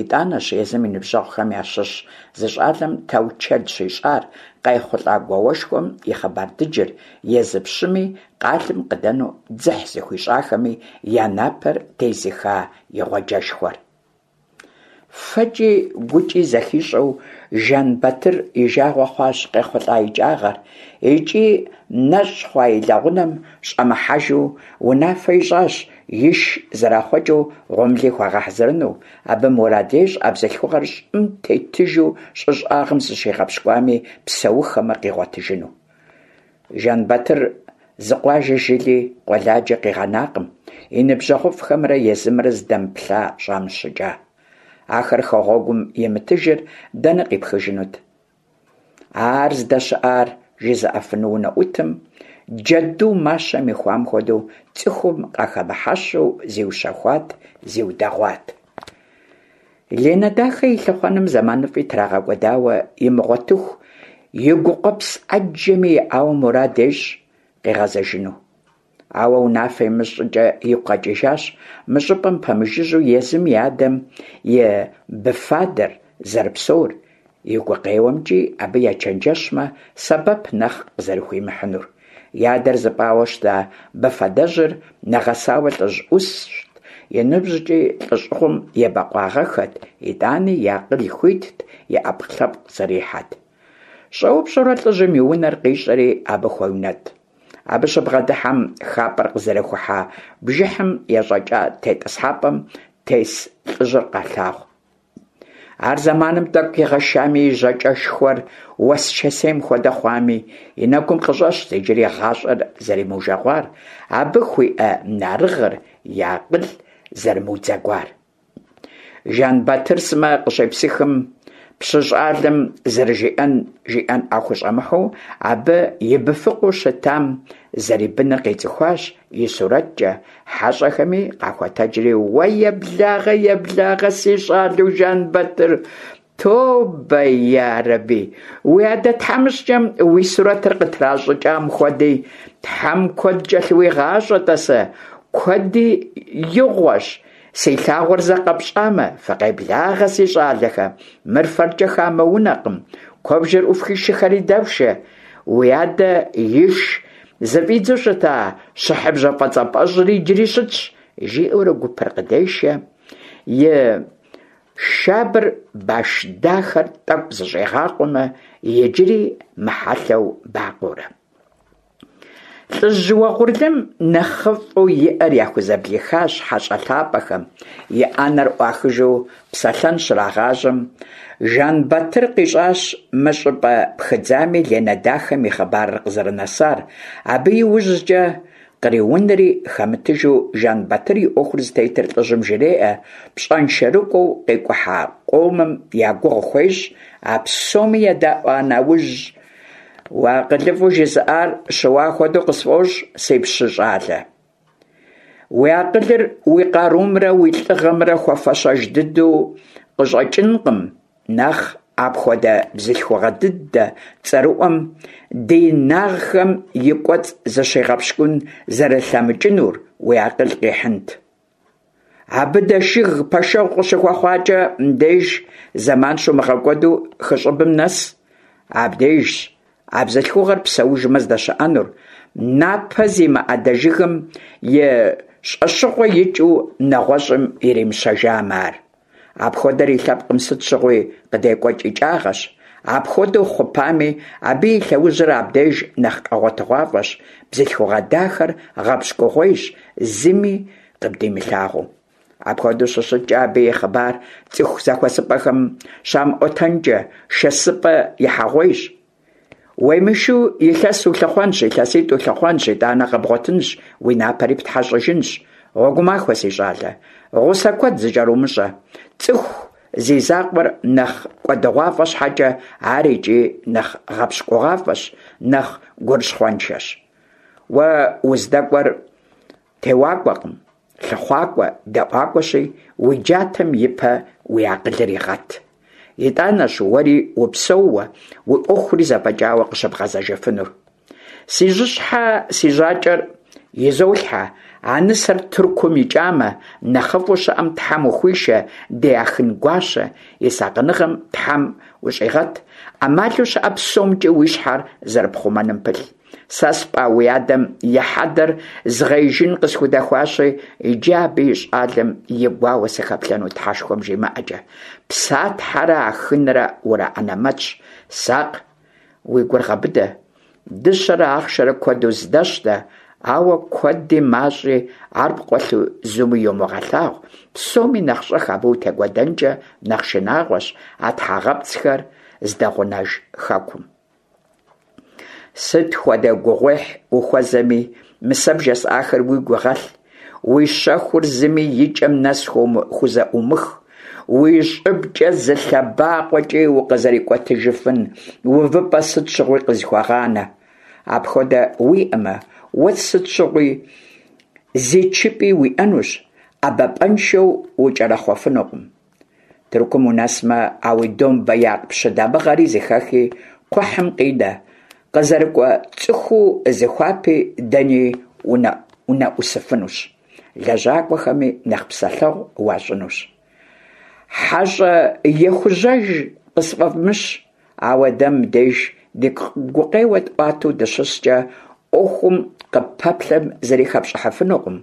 ИтӀанэщ езым и ныбжьэгъухэм ящыщ зы щӀалэм таучэл щищӀар къайхъулӀа гуауэшхуэм и хъыбар дыджыр, езы пщыми, къалэм къыдэну дзыхь зыхуищӀахэми я напэр тезыха игъуэджэшхуэр. ФэкӀи гукӀи зэхищӀэу Жэнбатыр и жагъуэ хъуащ къехъулӀа икӀагъэр икӀи нэщӀ хъуа и лэгъунэм щӀэмыхьэжу унафэ ищӀащ иш зэрахъуэкӀыу гъуэмыли хуагъэхьэзырыну. Абы мурад ещӀ а бзылъхугъэр щӀым тетыжу щӀы щӀагъым зыщигъэпщкӀуами, псэуххэмэ, къигъуэтыжыну. Жэнбатыр зы къуажи жыли къуэладжи къигъэнакъым и ныбжьэгъуфӀхэмрэ езымрэ зыдэмыплъа, щӀамыщыкӀа. Ахэр хэгъуэгум имытыжыр дэнэ къипхыжынут? Ар здэщыӀар жызыӀэфыну унэӀутым джэду мащэм ихуам хуэдэу цӀыхум къахэмыхьэщэу зиущэхуат, зиудэгъуат. Ленэ дахэ и лъыхъуэным зэманыфӀи трагъэкӀуэдауэ имыгъуэтыху, и гукъуэпс Ӏэджэми еӀауэ мурад ещӀ къигъэзэжыну. Ауэ унафэ имыщӀ щӀыкӀэ игу къэкӀыжащ мы щӀыпӀэм пэмыжыжьэу езым и адэм и быфадэр зэрыпсэур, и гукъеуэмкӀи абы ечэнджэщмэ, сэбэп нэхъ къызэрыхуимыхьынур. И адэр зыпӀауэ щыта быфадэжьыр нэгъэсауэ лӀыжь Ӏущт, и ныбжькӀи лӀэщӀыгъуэм ебэкъуагъэххэт, итӀани и акъыл хуитт, и Ӏэпкълъэпкъ зэрихьэт. ЩӀэупщӀэурэ лӀыжьым и унэр къищӀэри абы хуеунэтӀ. Абы щыбгъэдыхьэм, хапӀэр къызэрыхухьа бжыхьым ещӀэкӀа тетӀысхьэпӀэм тес лӀыжьыр къалъагъу. Ар зэманым тӀэкӀу игъэшами, и жьакӀэшхуэр уэсчэсейм хуэдэ хъуами, и нэгум къыщӀэщт иджыри гъащӀэр зэримыужэгъуар, абы хуиӀэ нарыгъыр, и акъыл зэрымыудзэгуар. Жэнбатыр сымэ къыщепсыхым, пщы щӀалэм зэрыжиӀэн жиӀэн хущӀэмыхьэу, абы и быфыкъуу щытам зэрибыныр къицӀыхуащ и сурэткӀэ, хьэщӀэхэми къахуэтэджри: «Уэ еблагъэ, еблагъэ, си щӀалэу Жэнбатыр, тобэ ярэби, уи адэ тхьэмыщкӀэм уи сурэтыр къытращӀыкӀам хуэди, Тхьэм куэд кӀэлъыуигъащӀэ, тӀасэ, куэди игъуэщ, си лъагъуэр зэ къэпщӀамэ, фыкъеблагъэ, си щӀалэхэ, мыр фэркӀэ хамэ унэкъым, куэбжэр Ӏуфхи шыхэри дэфшэ, уи адэ иш зыфӀидзэу щыта щыхьыбжьэ фӀэцӀапӀэжьри иджыри щытщ», жиӀэурэ гупыр къыдешэ, и шабэр баш дахэр тӀэкӀу зыщӀигъакъуэмэ, иджыри мыхьэлъэу бакъуэурэ. ЛӀыжь уэгъурлым нэхъыфӀу иӀэр яхузэблихащ хьэщӀэ лъапӀэхэм, и Ӏэнэр Ӏуахыжу псэлъэн щрагъажьэм, Жэнбатыр къищӀащ мы щӀыпӀэ пхыдзами Ленэ дахэм и хъыбарыр къызэрынэсар. Абы и ужькӀэ къриунри хэмытыжу Жэнбатыр и Ӏуэхур зытетыр лӀыжьым жреӀэ, пщӀэншэрыкӀуэу къикӀухьа къомым я гугъу хуещӀ, а псоми едэӀуа нэужь: «УакъылыфӀэу жызыӀар щыуа хуэдэу къысфӀощӀ, си пщы щӀалэ. Уи акъылыр уи къарумрэ уи лӀыгъэмрэ хуэфэщэж дыдэу къыщӀэкӀынкъым, нэхъ апхуэдэ бзылъхугъэ дыдэ цӀэрыӀуэм ди нагъхэм и кӀуэцӀ зыщигъэпщкӀун зэрылъэмыкӀынур уи акъыл къихьынт. Абы дэшыг пэшэгъу къыщыхуэхъуакӀэ, мыбдеж зэман щумыгъэкӀуэду хы щӀыбым нэс. Абдежщ а бзылъхугъэр псэужмэ здэщыӀэнур, напэ зимыӀэ дэжыгым и щӀэщыгъуэ икӀыу нэгъуэщӀым иримыщэжамэ ар. Апхуэдэр и лъэпкъым сыт щыгъуи къыдекӀуэкӀ икӀагъэщ. Апхуэдэу хъупами, абы и лъэужьыр абдеж нэхъ къэгъуэтыгъуафӀэщ, бзылъхугъэ дахэр гъэпщкӀугъуейщ, зыми къыбдимылъагъуу. Апхуэдэу щыщыткӀэ, абы и хъыбар цӀыху зэхуэсыпӀэхэм щамыӀуэтэнкӀэ шэсыпӀэ ихьэгъуейщ. Уемышу илъэс улъыхъуэнщ, илъэситӀ улъыхъуэнщ, итӀанэ къэбгъуэтынщ, уи напэри птхьэщӀыжынщ. Гъуэгумахуэ, си щӀалэ, гъусэ куэд зыкӀэрумыщӀэ. ЦӀыху зи закъуэр нэхъ кӀуэдыгъуафӀэ щхьэкӀэ, ар икӀи нэхъ гъэпщкӀугъуафӀэщ, нэхъ гурыщхъуэншэщ. Уэ уздэкӀуэр теуакӀуэкъым, лъыхъуакӀуэ, дэӀуакӀуэщи, уи джатэм и пэ уи акъылыр игъэт. ИтӀанэщ уэри упсэууэ, уи Ӏуэхури зэфӀэкӀауэ къыщыбгъэзэжыфынур. Си жьыщхьэ си жьакӀэр изолъхьэ, а нысэр Тыркум икӀамэ, нэхъыфӀу щыӀэм Тхьэм ухуишэ, ди Ахын гуащэ, и сакъыныгъэм Тхьэм ущӀигъэт, Ӏэмалу щыӀэ псомкӀи уи щхьэр зэрыпхъумэным пылъ. Сэ спӀа уи адэм и хьэдэр згъеижын къысхудэхуащи, иджы абы и щӀалэм и гуауэ сыхэплъэну Тхьэшхуэм жимыӀэкӀэ. Псатхьэрэ Ахынрэ ураӀэнэмэтщ. Сакъ, уи гур гъэбыдэ. Дыщэрэ ахъшэрэ куэду здэщтэ, ауэ куэди мащӀи ар пкъуэлъу зыми йумыгъэлъагъу, псоми нэхъ щӀэх абы утекӀуэдэнкӀэ нэхъ шынагъуэщ а тхьэгъэпцӀхэр здэгъунэж хэкум. Сыт хуэдэ гугъуехь ухуэзэми, мы сэ бжесӀахэр уигу игъэлъ, уи щэхур зыми и кӀэм нэс хузэӀумых, уи щӀыбкӀэ зы лъэбакъуэкӀи укъызэрикӀуэтыжыфын увыпӀэ сыт щыгъуи къызыхуэгъанэ. Апхуэдэ уиӀэмэ, уэ сыт щыгъуи зичыпӀи уиӀэнущ, ӀэбапӀэншэу укӀэрэхъуэфынукъым. Тыркум унэсмэ, а уи домбеякъ пщы дамыгъэри зыхэхи, кхъухьым къинэ, къызэрыкӀуэ цӀыхуу зыхуапи, дэни унэӀусыфынущ, лэжьакӀуэхэми нэхъ псэлъэгъу уащӀынущ. ХьэщӀэ ехужьэж къысфӀэвмыщ, ауэ дэ мыбдеж ди гукъеуэ тӀуатэу дыщыскӀэ, Ӏуэхум къыпэплъэм зыри хэпщӀыхьыфынукъым.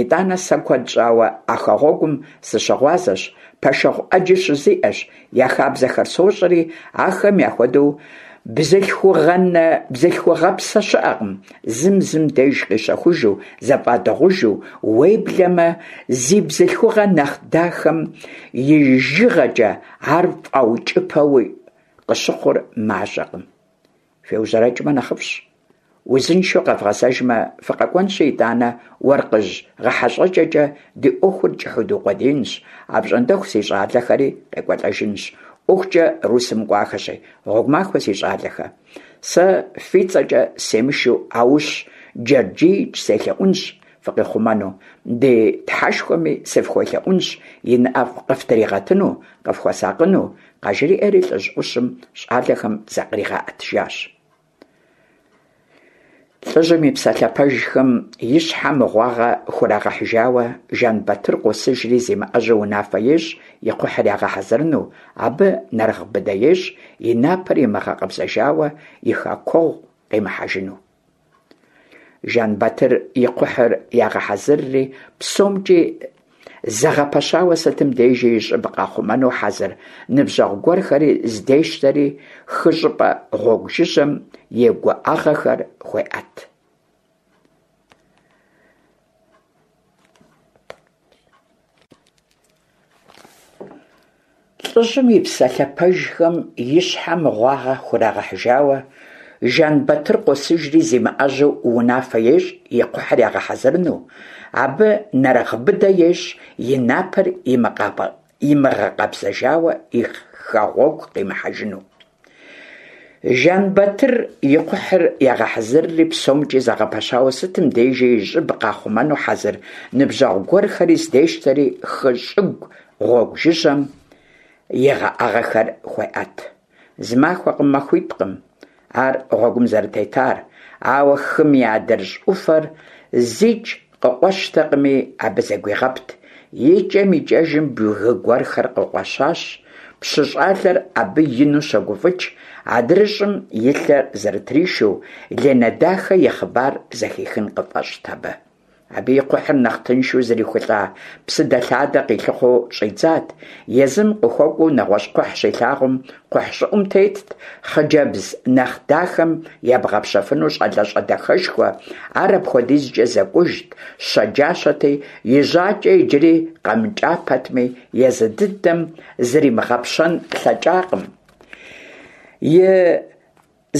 ИтӀанэ сэ куэд щӀауэ а хэгъуэгум сыщыгъуазэщ, пэшэгъу Ӏэджи щызиӀэщ, я хабзэхэр сощӀэри, ахэм яхуэдэу бзылъхугъэнэ бзылъхугъэпсэ щыӀэкъым, зым зым деж къищэхужу, зэфӀадыгъужу, уеблэмэ зи бзылъхугъэ нэхъ дахэм и жыгъэкӀэ ар фӀаукӀыпэуи къыщыхъур мащӀэкъым. ФеужьэрэкӀмэ нэхъыфӀщ. Узыншэу къэвгъэзэжмэ, фыкъэкӀуэнщи, итӀанэ уэркъыжь гъэхьэщӀэкӀэкӀэ ди Ӏуэхур кӀыхьу дукъуэдиинщ, апщӀондэху си щӀалэхэри къекӀуэлӀэжынщ, ӀуэхукӀэ Русым кӀуахэщи. Гъуэгу махуэ, си щӀалэхэ. Сэ фи цӀэкӀэ семышу Аущ-Джэрджиич селъэӀунщ фыкъихъумэну, ди Тхьэшхуэми сыфхуелъэӀунщ и нэӀэ къыфтригъэтыну, къыфхуэсакъыну, къажриӀэри лӀыжь Ӏущым щӀалэхэм закъригъэӀэтыжащ. ЛӀыжьым и псалъэ пэжхэм и щхьэ мыгъуагъэ хурагъэхьыжауэ, Жэнбатыр къосыжри зимыӀэжьэу унафэ ещӀ и кхъухьыр ягъэхьэзырыну, абы нэрыгъ быдэ ещӀ и напэр имыгъэкъэбзэжауэ и хэкуэгъу къимыхьэжыну. Жэнбатыр и кхъухьыр ягъэхьэзырри, псомкӀи зэгъэпэщауэ сытым дежи и щӀыб къахъумэну хьэзыр ныбжьэгъу гуэрхэри здещтэри, хы щӀыпӀэ гъуэгу жыжьэм и гуӀэгъэхэр хуеӀэт. ЛӀыжьым и псалъэ пэжхэм и щхьэ мыгъуагъэ хурагъэхьыжауэ, Жэнбатыр къосыжри зимыӀэжьэу унафэ ещӀ и кхъухьыр ягъэхьэзырыну, абы нэрыгъ быдэ ещӀ и напэр имыгъэкъэбзэжауэ и хэгъуэгу къимыхьэжыну. Жэнбатыр и кхъухьыр ягъэхьэзырри, псомкӀи зэгъэпэщауэ сытым дежи и щӀыб къахъумэну хьэзыр ныбжьэгъу гуэрхэри здещтэри, хы щӀыгу гъуэгу жыжьэм и гъэӀэгъэхэр хуеӀэт. Зы махуэкъым, махуитӀкъым ар гъуэгум зэрытетар, ауэ хым и адрыщӀ Ӏуфэр зикӀ къыкъуэщтэкъыми, абы зэгуигъэпт. ИкӀэм-икӀэжым бгы гуэрхэр къыкъуэщащ. Пщы щӀалэр абы ину щогуфӀыкӀ, адрыщӀым и лъэр зэрытришу, Ленэ дахэ и хъыбар зэхихын къыфӀэщӀт абы. Абы и кхъухьыр нэхъ тыншу зрихулӀа псыдэлъадэ къилъыхъуэу щӀидзат. Езым къыхуэкӀуэу нэгъуэщӀ кхъухь щилъагъум, кхъухь щӀыӀум тетт хъыджэбз нэхъ дахэм ебгъэпщэфыну щӀалэщӀэ дахэшхуэ. Ар апхуэдизкӀэ зэкӀужт, щэджащэти, и жьакӀэ иджыри къэмыкӀа пэтми, езы дыдэм зримыгъэпщэн лъэкӀакъым. И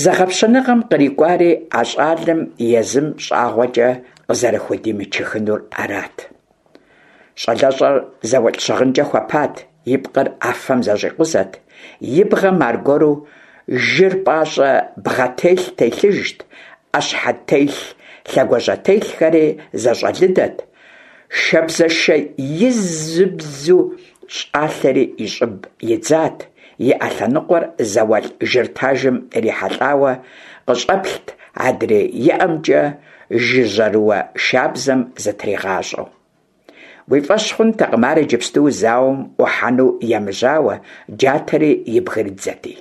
зэгъэпщэныгъэм кърикӀуари а щӀалэм езым щӀагъуэкӀэ къызэрыхудимычыхынур арат. ЩӀалэщӀэр зауэлӀ щыгъынкӀэ хуэпат, и пкъыр Ӏэфэм зэщӀикъузэт, и бгъэм аргуэру жыр пӀащӀэ бгъэтелъ телъыжт, Ӏэщхьэтелъ лъэгуажьэтелъхэри зэщӏэлыдэт, шабзэшэ изыбзу щӏалъэри и щӏыб идзат, и ӏэ лъэныкъуэр зауэлӏ жыр тажым ирихьэлӏауэ къыщӏэплът, адрей и ӏэмкӏэ жыжьэрыуэ шабзэм зытригъащӏэу. Уи фӏэщ хъунтэкъым ар иджыпсту зауэм ӏухьэну емыжьауэ, джатэри и бгырыдзэти.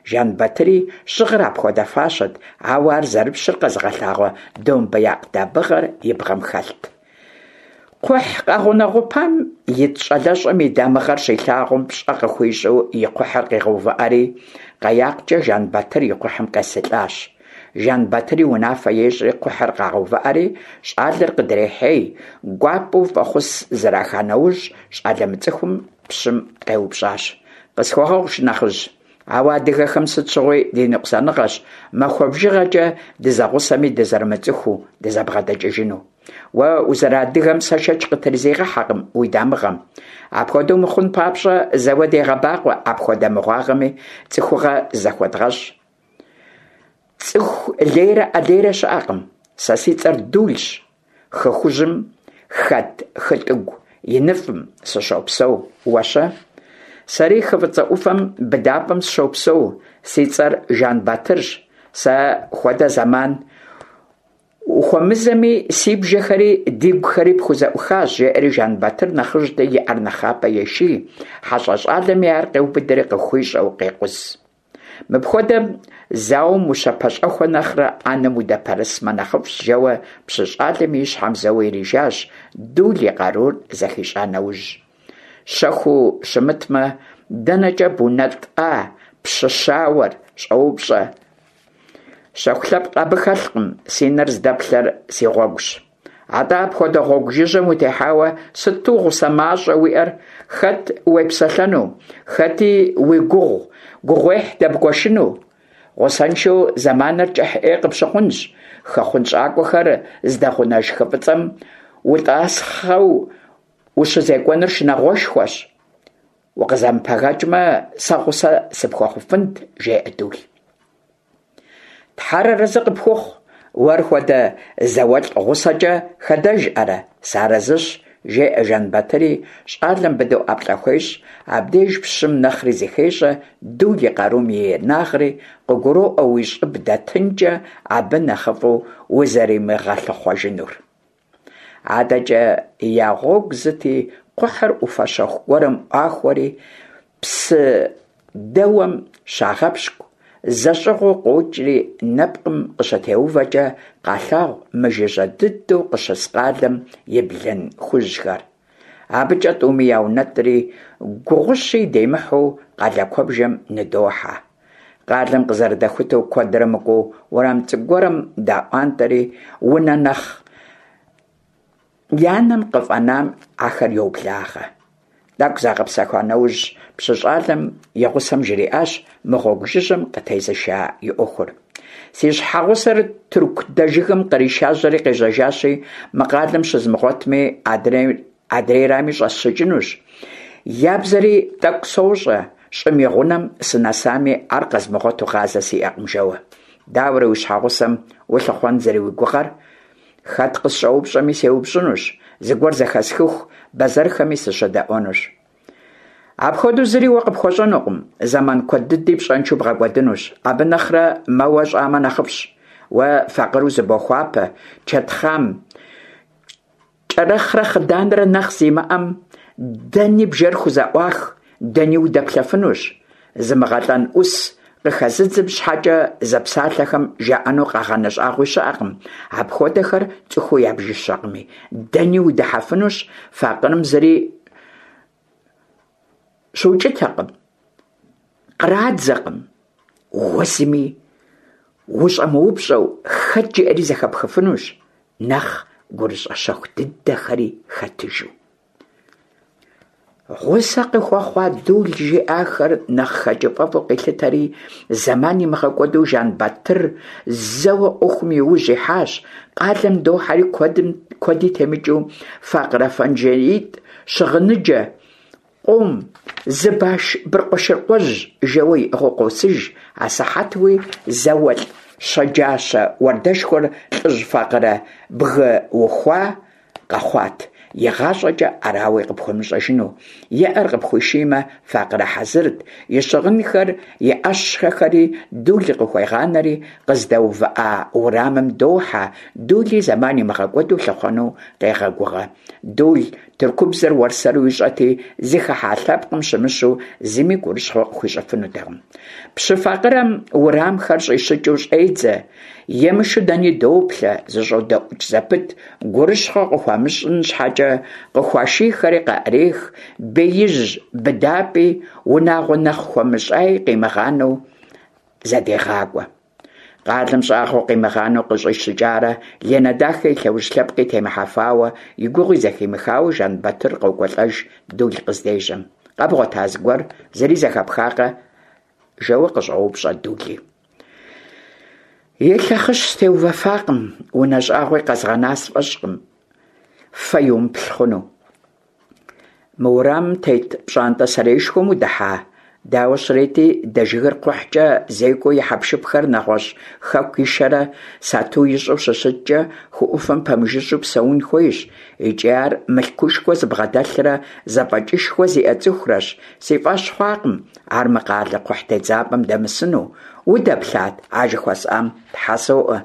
Жэнбатыри щыгъыр апхуэдэ фащэт, ауэ ар зэрыпщыр къэзыгъэлъагъуэ домбеякъ дамыгъэр и бгъэм хэлът. Кхъухь къэгъунэгъупам ит щӏалэщӏэм и дамыгъэр щилъагъум, пщӏэ къыхуищӏу и кхъухьыр къигъэувыӏэри, къаяккӏэ Жэнбатыр и кхъухьым къесылӏащ. Жэнбатыри унафэ ещӏри кхъухьыр къагъэувыӏэри, щӏалэр къыдрехьей, гуапэу фӏэхъус зэраха нэужь, щӏалэ мыцӏыхум пщым къеупщӏащ: «Къысхуэгъэгъу, шынэхъыжь, ауэ адыгэхэм сыт щыгъуи ди ныкъусаныгъэщ махуэ бжыгъэкӏэ дызэгъусэми дызэрымыцӏыхуу дызэбгъэдэкӏыжыну. Уэ узэрыадыгэм сэ шэч къытрызигъэхьэкъым уи дамыгъэм. Апхуэдэу мыхъун папщӏэ зэуэ дегъэбакъуэ, апхуэдэ мыгъуагъэми цӏыхугъэ зэхуэдгъэщӏ. Цӏыху лейрэ ӏэлейрэ щыӏэкъым. Сэ си цӏэр Дулщ, хы Хужьым хэт хытӏыгу иныфӏым сыщопсэу. Уэ-щэ? Сэри хы Фӏыцӏэ ӏуфэм быдапӏэм сыщопсэу. Си цӏэр Жэнбатырщ. Сэ хуэдэ зэман ухуэмызэми, си бжэхэри дигухэри пхузэӏухащ», жеӏэри Жэнбатыр нэхъыжьти и ӏэр нэхъапэ еший, хьэщӏэ щӏалэми ар къеубыдри къыхуищӏэу къекъуз. Мыпхуэдэм зауэм ущыпэщӏэхуэ нэхърэ ӏэнэм удэпэрысмэ нэхъыфӏщ, жэуэ пщы щӏалэми и щхьэм зэуэ ирижащ, Дул и къарур зэхищӏа нэужь. Щэхуу щымытмэ, дэнэкӏэ бунэтӏа пщы щауэр, щӏоупщӏэ. Щэху лъэпкъ абы хэлъкъым, си нэр здэплъэр си гъуэгущ. Атӏэ апхуэдэ гъуэгу жыжьэм утехьауэ сыту гъусэ мащӏэ уиӏэр, хэт уепсэлъэну, хэти уи гугъу гугъуехь дэбгуэшыну? Гъусэншэу зэманыр кӏыхь ӏей къыпщыхъунщ, хы хъунщӏакӏуэхэр здэгъунэж хы Фӏыцӏэм утӏасхъэу ущызекӏуэныр шынагъуэшхуэщ. Укъызэмыпэгэкӏмэ, сэ гъусэ сыпхуэхъуфынт, жеӏэ Дул. Тхьэр арэзы къыпхухъу, уэр хуэдэ зауэлӏ гъусэкӏэ хэдэжӏэрэ, сыарэзыщ, жеӏэ Жэнбатыри, щӏалэм быдэу ӏэплӏэ хуещӏ. Абдеж пщым нэхъри зыхещӏэ Дул и къарум и инагъри, къыгуроӏуэ уи щӏыб дэтынкӏэ абы нэхъыфӏу узэримыгъэлъыхъуэжынур. Адэкӏэ я гъуэгу зыти, кхъухьыр ӏуфэ щэху гуэрым ӏуахуэри, псы дэуэм щагъэпщкӏу, зэщӏыгъуу къокӏри нэпкъым къыщытеувэкӏэ къалъагъу мыжыжьэ дыдэу къыщыс къалэм и блын хужьхэр. Абыкӏэ тӏуми яунэтӏри, гугъущи демыхьу къалэ куэбжэм ныдохьэ. Къалэм къызэрыдэхутэу куэдрэ мыкӏуэу уэрам цӏыкӏу гуэрым даӏуантӏэри, унэ нэхъ я нэм къыфӏэнам ахэр йоблагъэ. Тӏэкӏу загъэпсэхуа нэужь, пщы щӏалэм и гъусэм жриӏащ мы гъуэгу жыжьэм къытезыша и ӏуэхур. Си щхьэгъусэр тырку дэжыгым къришажьэри къежьэжащи, мы къалэм щызмыгъуэтми, адрейрами щӏэсщыкӏынущ. Я бзэри тӏэкӏу сощӏэ, щӏым и гъунэм сынэсами, ар къэзмыгъуэту гъазэ сиӏэкъым, жэуэ. Дауэрэ уи щхьэгъусэм улъыхъуэн зэрыуигугъэр? Хэт къысщӏэупщӏэми сеупщӏынущ, зыгуэр зэхэсхыху бэзэрхэми сыщыдэӏуэнущ. Апхуэдэу зыри уэ къыпхуэщӏэнукъым, зэман куэд дыди пщӏэншэу бгъэкӏуэдынущ. Абы нэхърэ мэуэ щӏамэ нэхъыфӏщ. Уэ факъырэу зыбохуапэ, чэтхъам кӏэрэхърэ хъыданрэ нэхъ зимыӏэм дэни бжэр хузэӏуах, дэни удэплъэфынущ. Зымыгъэлӏэн ӏус къыхэзыдзым щхьэкӏэ зэпсалъэхэм жаӏэну къагъанэ щӏагъуи щыӏэкъым, апхуэдэхэр цӏыхуу ябжыщэкъыми. Дэни удыхьэфынущ, факъырэм зыри щукӏытэкъым, кърадзэкъым. Уэ зыми ущӏэмыупщӏэу хэт жиӏэри зэхэпхыфынущ, нэхъ гурыщӏэ щэху дыдэхэри хэтыжу. Гъусэ къыхуэхъуа Дул жиӏахэр нэхъ хэкӏыпӏэфӏу къилъытэри, зэман имыгъэкӏуэду Жэнбатыр зэуэ ӏуэхум и ужь ихьащ. Къалэм дохьэри куэдым куэди темыкӏыу факъырэ фэнжеитӏ, щыгъыныджэ къом, зы баш быркъуэшыркъуэжь жэуэ иӏыгъыу къосыж, асыхьэтуи зауэлӏ щэджащэ уардэшхуэр лӀыжь факъырэ бгы ухуа къэхъуат, игъащӀэкӀэ арауи къыпхуэмыщӀэжыну. И Ӏэр къыпхуишиймэ, факъырэ хьэзырт, и щыгъынхэр, и Ӏэщэхэри Дул къыхуегъанэри, къыздэувыӀа уэрамым дохьэ, Дули зэман имыгъэкӀуэду лъыхъуэну къегъэгугъэ. Дул тыркубзэр уэрсэру ищӀэти, зыхыхьа лъэпкъым щымыщу зыми гурыщхъуэ къыхуищӀыфынутэкъым. Пщы факъырэм уэрамхэр щӀищыкӀыу щӀедзэ, емышу дэни доплъэ, зыщӀодэӀукӀ зэпыт, гурыщхъуэ къыхуамыщӀын щхьэкӀэ къыхуашийхэри къаӀрех, беижь быдапӀи, унагъуэ нэхъ хуэмыщӀаи къимыгъанэу зэдегъакӀуэ. Къалэм щӀагъуэ къимыгъанэу къыщӀищыкӀарэ Ленэ дахэ и лъэужь лъэпкъи темыхьэфауэ, и гугъуи зэхимыхауэ Жэнбатыр къокӀуэлӀэж Дул къыздежьэм. «Къэбгъуэта зыгуэр? Зыри зэхэпхакъэ?» жэуэ къыщӀоупщӀэ Дули. И лъэхъыщ сытеувэфакъым, унэ щӀагъуи къэзгъэна сфӀэщӀкъым, фэ иумыплъ хъуну. Мы уэрамым тет пщӀантӀэ сэреишхуэм удыхьа? Дауэ щрети, Дэжыгыр кхъухькӀэ зекӀуэу и хьэпшыпхэр нэгъуэщӀ хэку ишэрэ сату ищӀу щыщыткӀэ, хы Ӏуфэм пэмыжыжьэу псэун хуейщ. ИкӀи ар мылъкушхуэ зыбгъэдэлърэ зэфӀэкӀышхуэ зиӀэ цӀыхурэщ. Си фӀэщ хъуакъым ар мы къалэ кхъухь тедзапӀэм дэмысыну. Удэплъат а жыхуэсӀам? Тхьэ соӀуэ,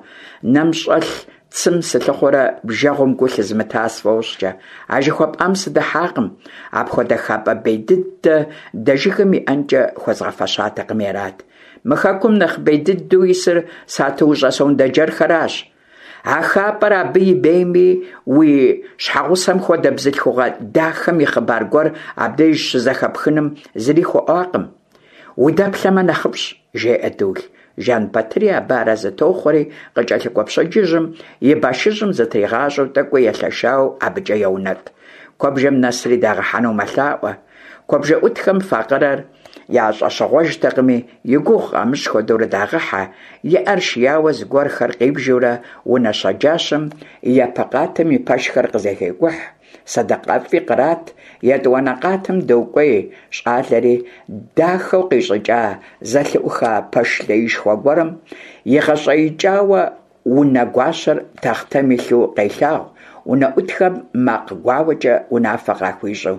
нэм щӀэлъ цым сылъыхъуэрэ бжэгъум гу лъызмыта сфӀощӀкӀэ. А жыхуэпӀам сыдыхьакъым. Апхуэдэ хапӀэ бей дыдэ Дэжыгым иӀэнкӀэ хуэзгъэфэщатэкъыми арат. Мы хэкум нэхъ бей дыдэу исыр сатуущӀэ сондэджэрхэращ. А хапӀэр абы и бейми, уи щхьэгъусэм хуэдэ бзылъхугъэ дахэм и хъыбар гуэр абдеж щызэхэпхыным зыри хуэӀуакъым. Удэплъэмэ нэхъыфӀщ, жеӀэ Дул. Жэнбатыри абы арэзы тохъуэри, къыкӀэлъыкӀуэ пщэдджыжьым и башыжьым зытригъащӀэу тӀэкӀуи елъэшауэ абыкӀэ еунэтӀ. Куэбжэм нэсри дагъыхьэну мэлъаӀуэ. КуэбжэӀутхэм факъырэр ящӀэщыгъуэжтэкъыми, и гугъу къамыщӀ хуэдэурэ дагъыхьэ, и Ӏэр шияуэ зыгуэрхэр къибжурэ унэ щэджащэм и япэ къатым и пэшхэр къызэхекӀухь, сэдэкъэфӀи кърат, етӀуанэ къатым докӀуей щӀалэри, дахэу къищӀыкӀа зэлъыӀуха пэш леишхуэ гуэрым игъэщӀеикӀауэ унэгуащэр тахътэм илъу къелъагъу, унэӀутхэм макъ гуауэкӀэ унафэ къахуищӀу.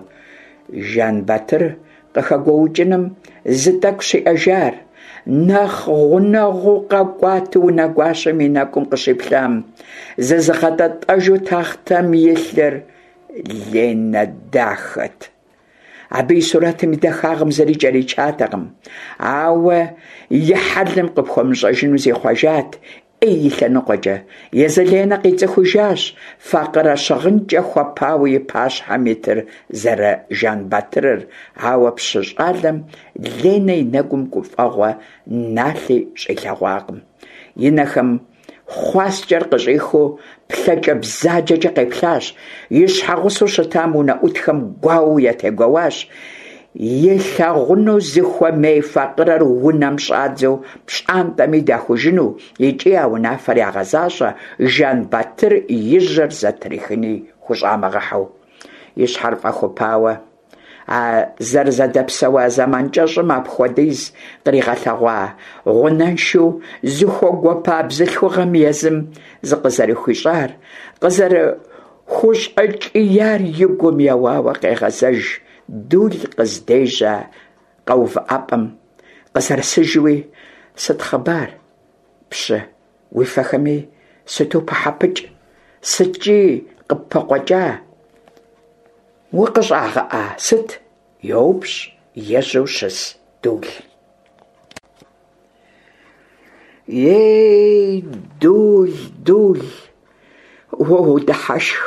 Жэнбатыр къыхэгуоукӀыным зы тӀэкӀущ иӀэжар. Нэхъ гъунэгъуу къэкӀуатэу унэгуащэм и нэкӀум къыщиплъам, зызыгъэтӀэтӀэжу тахътэм илъыр Ленэ дахэт. Абы и сурэтым и дахагъым зыри кӀэричатэкъым, ауэ и хьэлым къыпхуэмыщӀэжыну зихъуэжат Ӏей и лъэныкъуэкӀэ. Езы Ленэ къицӀыхужащ факъырэ щыгъынкӀэ хуэпауэ и пащхьэм итыр зэры-Жэнбатырыр, ауэ пщы щӀалэм Ленэ и нэгум гуфӀэгъуэ налъи щӀилъэгъуакъым. И нэхэм хъуаскӀэр къыщӀихыу плъэкӀэ бзаджэкӀэ къеплъащ, и щхьэгъусэу щытам унэӀутхэм гуауэу ятегуэуащ, илъагъуну зыхуэмей факъырэр унэм щӀадзэу пщӀантӀэми дахужыну икӀи а унафэр ягъэзащӀэ, Жэнбатыр и жьэр зэтрихыни хущӀамыгъэхьэу. И щхьэр фӀэхупауэ, а зэрызэдэпсэуа зэман кӀэщӀым апхуэдиз къригъэлъэгъуа, гъунэншэу зыхуэгуэпа бзылъхугъэм езым зыкъызэрыхуищӀар, къызэрыхущӀэкӀияр и гум еуауэ къегъэзэж Дул къыздежьа къэувыӀэпӀэм къызэрысыжуи, сыт хъыбар, пщы, уи фэхэми сыту пыхьэпыкӀ, сыткӀи къыппыкъуэкӀа, укъыщӀагъэӀа, сыт? ЙоупщӀ ежьэу щыс Дул. Ей, Дул, Дул, уэ уодыхьэшх,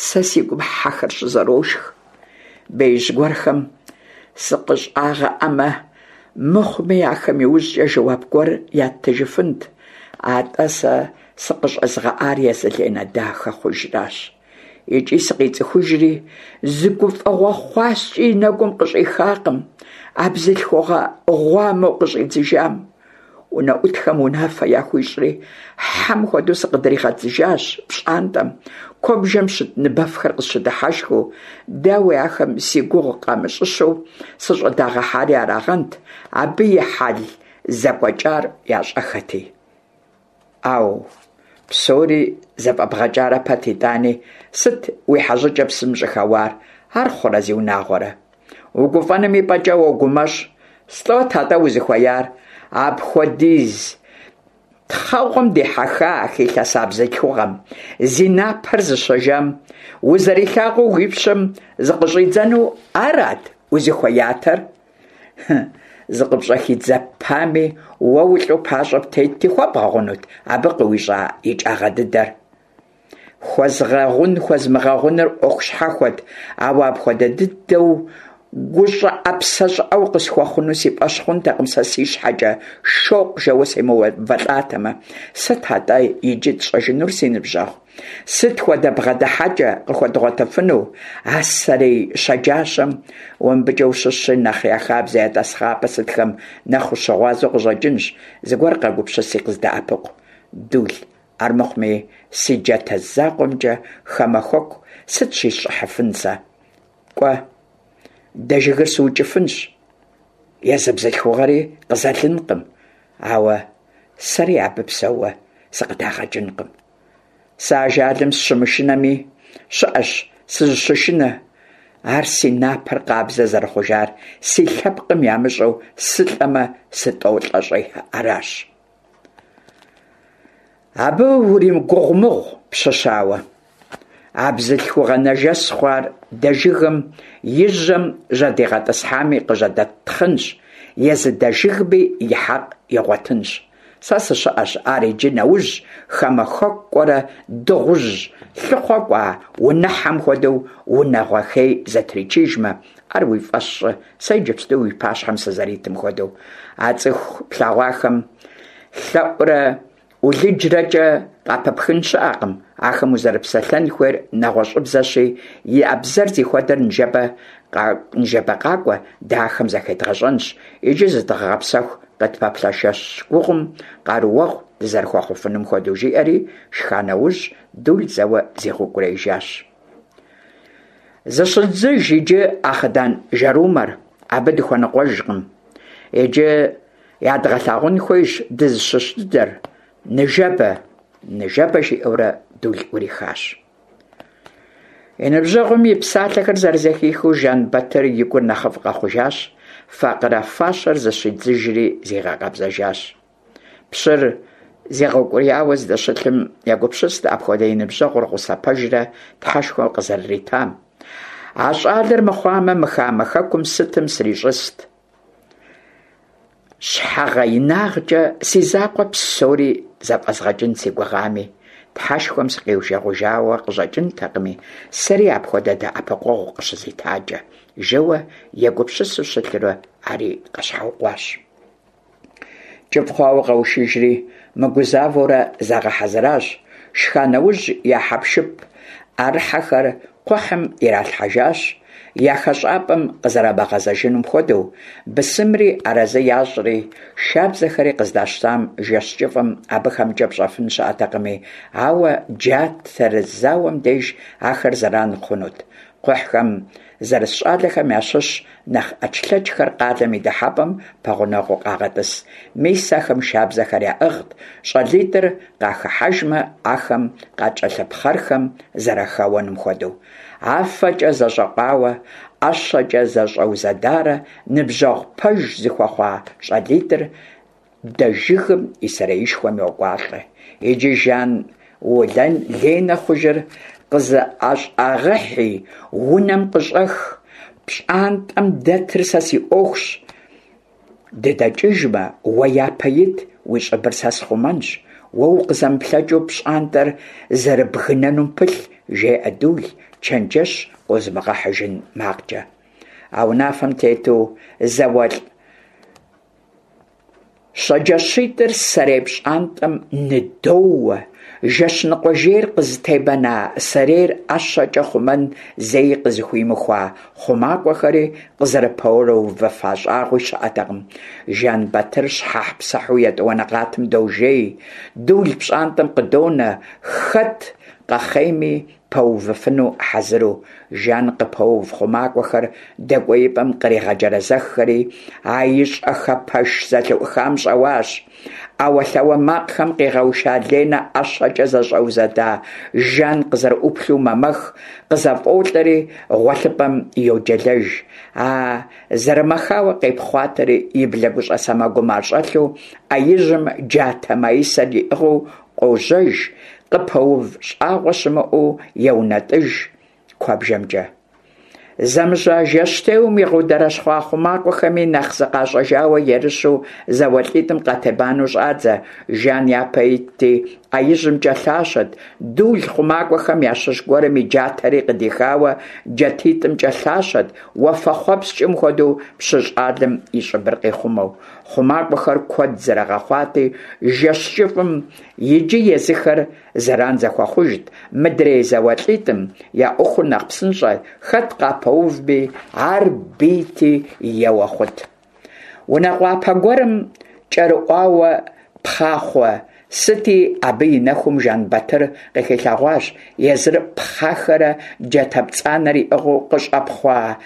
сэ си гум хьэхэр щызэрошх. Беижь гуэрхэм сыкъыщӀагъэӀэмэ, мыхъуми, ахэм иужькӀэ жэуап гуэр яттыжыфынт. АтӀэ сэ сыкъыщӀэзыгъэӀар езы Ленэ дахэ хъужращ. ИкӀи сыкъицӀыхужри, зы гуфӀэгъуэ хъуаскӀи и нэгум къыщӀихакъым а бзылъхугъэ гъуамэу къыщӀидзыжам. УнэӀутхэм унафэ яхуищӀри, хьэм хуэдэу сыкъыдригъэдзыжащ пщӀантӀэм, куэбжэм щыт ныбэфхэр къысщыдыхьэшхыу. Дауи, ахэм си гугъу къамыщӀыщэу сыщӀыдагъэхьари арагъэнт, абы и хьэл зэкӀуэкӀар ящӀэххэти. Ӏэу, псори зэфӏэбгъэкӏарэ пэт итӏани, сыт уи хьэщӏыкӏэ псым щӏыхэуар? Ар хъурэ, зиунагъуэрэ? Угуфӏэным и пӏэкӏэ уогумэщӏ. Слӏот атӏэ узыхуеяр? Апхуэдиз тхъэгъуэм дихьэха, хилъэса бзылъхугъэм, зи напэр зыщэжам, узэрилъагъуу уи пщэм зыкъыщӏидзэну арат узыхуеятэр? Зыкъыпщӏэхидзэпами, уэ улӏу пащӏэ птетти, хуэбгъэгъунут абы къыуищӏа икӏагъэ дыдэр? Хуэзгъэгъун-хуэзмыгъэгъуныр ӏуэху щхьэхуэт, ауэ апхуэдэ дыдэу гущӏыӏэ-псэ щӏыӏэу къысхуэхъуну си фӏэщ хъунтэкъым сэ си щхьэкӏэ шокъу жэуэ семыувэлӏатэмэ. Сыт атӏэ иджы тщӏэжынур, си ныбжьэгъу? Сыт хуэдэ бгъэдыхьэкӏэ къыхуэдгъуэтыфыну а сэрей щэджащэм? Уэ мыбыкӏэ ущыщщи, нэхъ я хабзэ, я тӏасхъапӏэ сытхэм нэхъ ущыгъуазэу къыщӏэкӏынщ, зыгуэр къэгупсыси къыздэӏэпыкъу. Дул, армыхъуми си джатэ закъуэмкӏэ хамэ хэку сыт щисщӏыхьыфын сэ? Кӏуэ, дэжыгыр сыукӏыфынщ, езы бзылъхугъэри къызэлынкъым, ауэ сэри абы псэууэ сыкъыдагъэкӏынкъым. Сэ ажалым сыщымышынэми, щыӏэщ сызыщышынэ. Ар си напэр къабзэ зэрыхъужар си лъэпкъым ямыщӏэу сылӏэмэ сытӏолӏэщӏей аращ. Абы уримыгугъумыгъу, пщы щауэ. А бзылъхугъэ нэжэс хъуар дэжыгым и жьэм жьэдигъэтӏысхьами къыжьэдэттхъынщ, езы дэжыгми и хьэкъ игъуэтынщ. Сэ сыщыӏэщ ар иджы нэужь хамэ хэку кӏуэрэ дыгъужь лъыхъуэ кӏуа унэхьэм хуэдэу унагъуэ хей зэтричыжмэ, ар уи фӏэщ щӏы, сэ иджыпсту уи пащхьэм сызэритым хуэдэу. А цӏыху плъэгъуахэм лъэӏурэ ӏулыджрэкӏэ къапыпхын щыӏэкъым, ахэм узэрыпсэлъэн хуейр нэгъуэщӏыбзэщи, я бзэр зихуэдэр ныжэбэ ныжэбэ къакӏуэ, дэ ахэм зэхедгъэщӏэнщ. Иджы зыдгъэгъэпсэху къытпэплъэ жэщ гугъум къарууэгъу дызэрыхуэхъуфынум хуэдэу, жиӏэри шха нэужь Дул зэуэ зигъэукӏуриижащ. Зыщыдзыж иджы а хъыдан жэрумэр, абы дыхуэныкъуэжкъым. Иджы ядгъэлъагъун хуейщ дызыщыщ дыдэр. Ныжэбэ, ныжэбэ, жиӏэурэ Дул ӏурихащ. И ныбжьэгъум и псалъэхэр зэрызэхихыу Жэнбэтыр и гур нэхъыфӏ къэхъужащ, факъырэ фащэр зыщидзыжри зигъэкъэбзэжащ. Пщыр зигъэукӏурияуэ здэщылъым егупсыст апхуэдэ и ныбжьэгъур гъусэ пэжрэ Тхьэшхуэм къызэрыритам. А щӏалэр мыхъуамэ, мы хамэ хэкум сытым срищӏыст? Щхьэгъэинагъкӏэ си закъуэ псори зэфӏэзгъэкӏын си гугъами, Тхьэшхуэм сыкъиужэгъужауэ къыщӏэкӏынтэкъыми, сэри апхуэдэ дэӏэпыкъуэгъу къыщызитакӏэ, жэуэ егупсысу щылъурэ ари къэщхьэукъуащ. Кӏыфӏ хъуауэ къэушыжри, мыгузавэурэ загъэхьэзыращ. Шха нэужь я хьэпшып ӏэрыхьэхэр кхъухьым иралъхьэжащ, я хэщӏапӏэм къызэрамыгъэзэжынум хуэдэу, бысымри арэзы ящӏри, шабзэхэри къыздащтам жэщ кӏыфӏым абыхэмкӏэ пщӏэфын щыӏэтэкъыми, ауэ джатэрызауэм деж ахэр зэран хъунут. Кхъухьхэм зэрыс щӏалэхэм ящыщ нэхъ ӏэчлъэчхэр къалэм и дыхьэпӏэм пэгъунэгъуу къагъэтӏыс. Мис ахэм шабзэхэр яӏыгът, щӏалитӏыр къахыхьэжмэ, ахэм къакӏэлъыпхъэрхэм зэрахэуэным хуэдэу. Афэкӏэ зэщӏэкъуауэ, ӏэщэкӏэ зэщӏэузэдарэ ныбжьэгъу пэж зыхуэхъуа щӏалитӏыр дэжыгым и сэреишхуэм йокӏуалӏэ. Иджы Жан Ленэ хъужыр къызыӏэщӏагъэхьи, унэм къыщӏэх, пщӏантӏэм дэтыр сэ си ӏуэхущ. Дыдэкӏыжмэ, уэ япэ ит, уи щӏыбыр сэ схъумэнщ. Уэ укъызэмыплъэкӏыу пщӏантӏэр зэрыбгынэнум пылъ, жеӏэ Дул, чэнджэщ къозымыгъэхьыжын макъкӏэ. А унафэм тету зауэлӏ щэджащитӏыр сэрей пщӏантӏэм ныдоуэ. Жэщ ныкъуэ жейр къызытебэна сэрейр ӏэщэкӏэ хъумэн зэи къызыхуимыхуа хъумакӏуэхэри къызэрыпэрыувэфа щӏагъуи щыӏэтэкъым. Жэнбэтыр щхьэхьпсыхьу етӏуанэ къатым дожей, Дул пщӏантӏэм къыдонэ, хэт къэхъейми пэувыфыну хьэзыру. Жан къыпэув хъумакӏуэхэр дэкӏуеипӏэм къригъэджэрэзэххэри, а ищӏэхэ пэш зэлъыӏухам щӏэуащ. Ӏэуэлъауэ макъхэм къигъэуша Ленэ ӏэщэкӏэ зэщӏэузэда Жан къызэрыӏуплъэу мэмэх, къызэфӏолӏэри гъуэлъыпӏэм йоджэлэж. А зэрымэхауэ къепхъуатэри, и блэгущӏэ сэмэгум ар щӏэлъу, ӏэ ижьым джатэ маисэр иӏыгъыу къожьэж, къыпэув щӏагъуэ щымыӏэу еунэтӏыж куэбжэмкӏэ. Зэмыжьа жэщтеуэм игъэундэрэщхъуа хъумакӏуэхэми нэхъ зыкъащӏэжауэ ерыщу зауэлӏитӏым къатебанэу щӏадзэ. Жан япэ итти, ӏэ ижьымкӏэ лъащэт, Дул хъумакӏуэхэм ящыщ гуэрым и джатэри къыдихауэ джатитӏымкӏэ лъащэт, уафэхъуэпскӏым хуэдэу пщы щӏалэм и щӏыбыр къихъумэу. Хъумакӏуэхэр куэд зэрыгъэхъуати, жэщ кӏыфӏым иджы езыхэр зэран зэхуэхъужт, мыдрей зауэлӏитӏым я ӏуэхур нэхъ псынщӏэт, хэт къапэувми, ар бийти еуэ хъут. Унэ къуапэ гуэрым кӏэрыӏуауэ пхъахъуэ сыти, абы и нэхум Жэнбатыр къыхилъэгъуащ езыр пхъахэрэ джатэ пцӏанэр иӏыгъыу къыщӏэпхъуа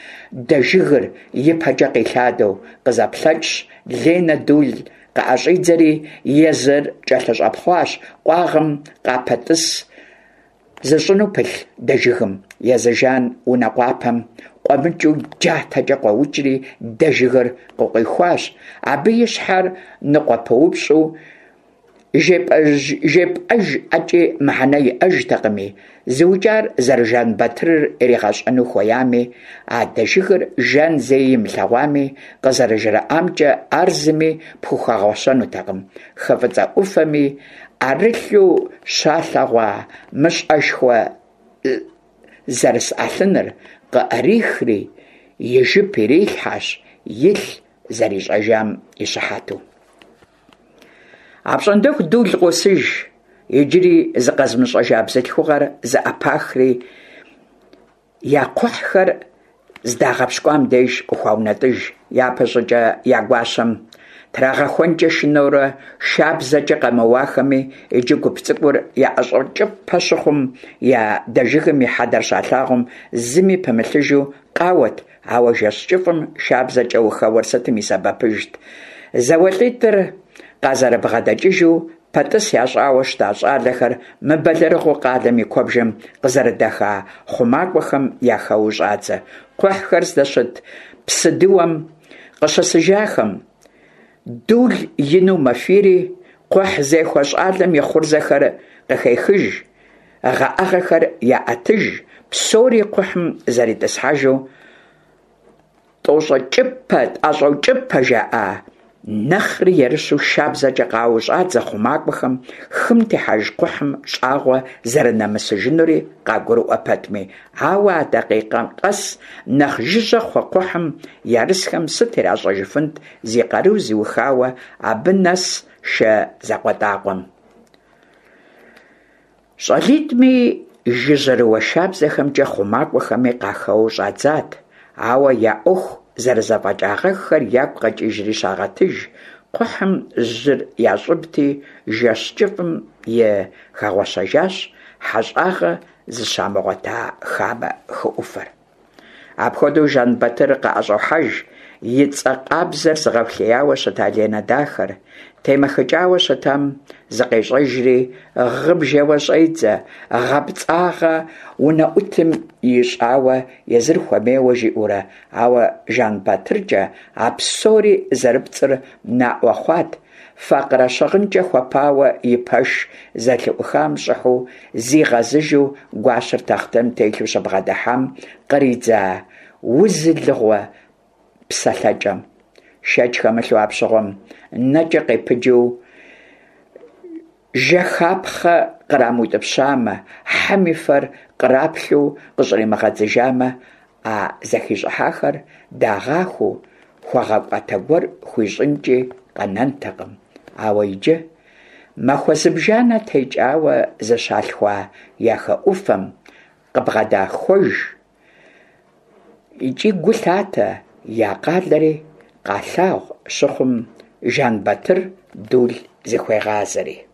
дэжыгыр ипэкӏэ къилъадэу. Къызэплъэкӏщ, Ленэ Дул къыӏэщӏидзэри, езыр кӏэлъыщӏэпхъуащ къуагъым къапэтӏыс зыщӏыну пылъ дэжыгым. Езы Жан унэ къуапэм къуэмыкӏыу джатэкӏэ къуэукӏри дэжыгыр къыкъуихуащ. Абы и щхьэр ныкъуэпыупщӏу жепӏэж ӏэкӏи мыхьэнэ иӏэжтэкъыми, зыукӏар зэры-Жэнбатырыр иригъэщӏэну хуеями, а дэжыгыр Жан зэи имылъэгъуами, къызэрыжраӏамкӏэ, ар зыми пхухэгъуэщэнутэкъым. Хы Фӏыцӏэ ӏуфэми ӏэрылъу щалъэгъуа мыщӏэшхуэ зэрыс ӏэлъыныр къыӏрихри и жып ирилъхьэщ, илъ зэрищӏэжам и щыхьэту. Апщӏондэху Дул къосыж, иджыри зыкъэзымыщӏэжа бзылъхугъэр зэӏэпахри, я кхъухьхэр здагъэпщкӏуам деж къыхуаунэтӏыж. Япэщӏыкӏэ я гуащэм трагъэхуэнкӏэ шынэурэ шабзэкӏэ къэмыуахэми, иджы гуп цӏыкӏур яӏэщӏэкӏыпэ щыхъум, я дэжыгым и хьэдэр щалъагъум, зыми пымылъыжу къауэт, ауэ жэщ кӏыфӏым шабзэкӏэ ухэуэр сытым и сэбэпыжт. Зауэлӏитӏыр къазэрыбгъэдэкӏыжу пэтӏыс ящӏауэ щыта щӏалэхэр мыбэлэрыгъыу къалэм и куэбжэм къызэрыдэха хъумакӏуэхэм яхэуэу щӏадзэ. Кхъухьхэр здэщыт псыдыуэм къыщысыжахэм, Дул ину мэфийри, кхъухьзехуэ щӏалэм и хъурзэхэр къыхехыж, гъэӏэгъэхэр яӏэтыж, псори кхъухьым зэритӏысхьэжу тӏощӏэкӏыпэ, тӏэщӏэукӏыпэ жаӏа нэхъри ерыщу шабзэкӏэ къауэу щӏадзэ хъумакӏуэхэм, хым техьэж кхъухьым щӏагъуэ зэрынэмысыжынури къагурыӏуэ пэтми. Ауэ а дакъикъэм къэс нэхъ жыжьэ хъу кхъухьым ярысхэм сыт иращӏэжыфынт зи къару зыухауэ абы нэс шэ закъуэтӏакъуэм? Щӏалитӏми жыжьэрыуэ шабзэхэмкӏэ хъумакӏуэхэми къахэуэу щӏадзат, ауэ я ӏуэху зэрызэфӏэкӏагъэххэр ягу къэкӏыжри щагъэтыж, кхъухьым жьыр ящӏыбти, жэщ кӏыфӏым и хэгъуэщэжащ хьэщӏагъэ зыщамыгъуэта хамэ хы ӏуфэр. Апхуэдэу Жэнбатыр къыӏэщӏохьэж и цӏэ къабзэр зыгъэфлеяуэ щыта Ленэ дахэр. Темэхыкӏауэ щытам зыкъещӏэжри, гъыбжэуэ щӏедзэ, гъэпцӏагъэ унэӏутым ищӏауэ езыр хуэмейуэ жиӏэурэ, ауэ Жэнбатыркӏэ а псори зэрыпцӏыр наӏуэ хъуат, факъырэ щыгъынкӏэ хуэпауэ и пэш зэлъыӏухам щӏыхьу зигъэзыжу гуащэр тахътэм телъу щыбгъэдыхьам къридза узылыгъуэ псэлъэкӏэм. Шэч хэмылъу апщыгъуэм нэкӏэ къепыджу жэхапхъэ кърамыутӏыпщамэ, хьэм и фэр къраплъу къыщӏримыгъэдзыжамэ, а зэхищӏыхьахэр дагъахуу хуэгъэкӏуатэ гуэр хуищӏынкӏи къэнэнтэкъым. Ауэ иджы махуэ зыбжанэ текӏауэ зыщалъхуа я хы ӏуфэм къыбгъэдахуэж икӏи гу лъатэ, я къалэри къалъагъу щыхъум, Жэнбатыр Дул зыхуегъазэри.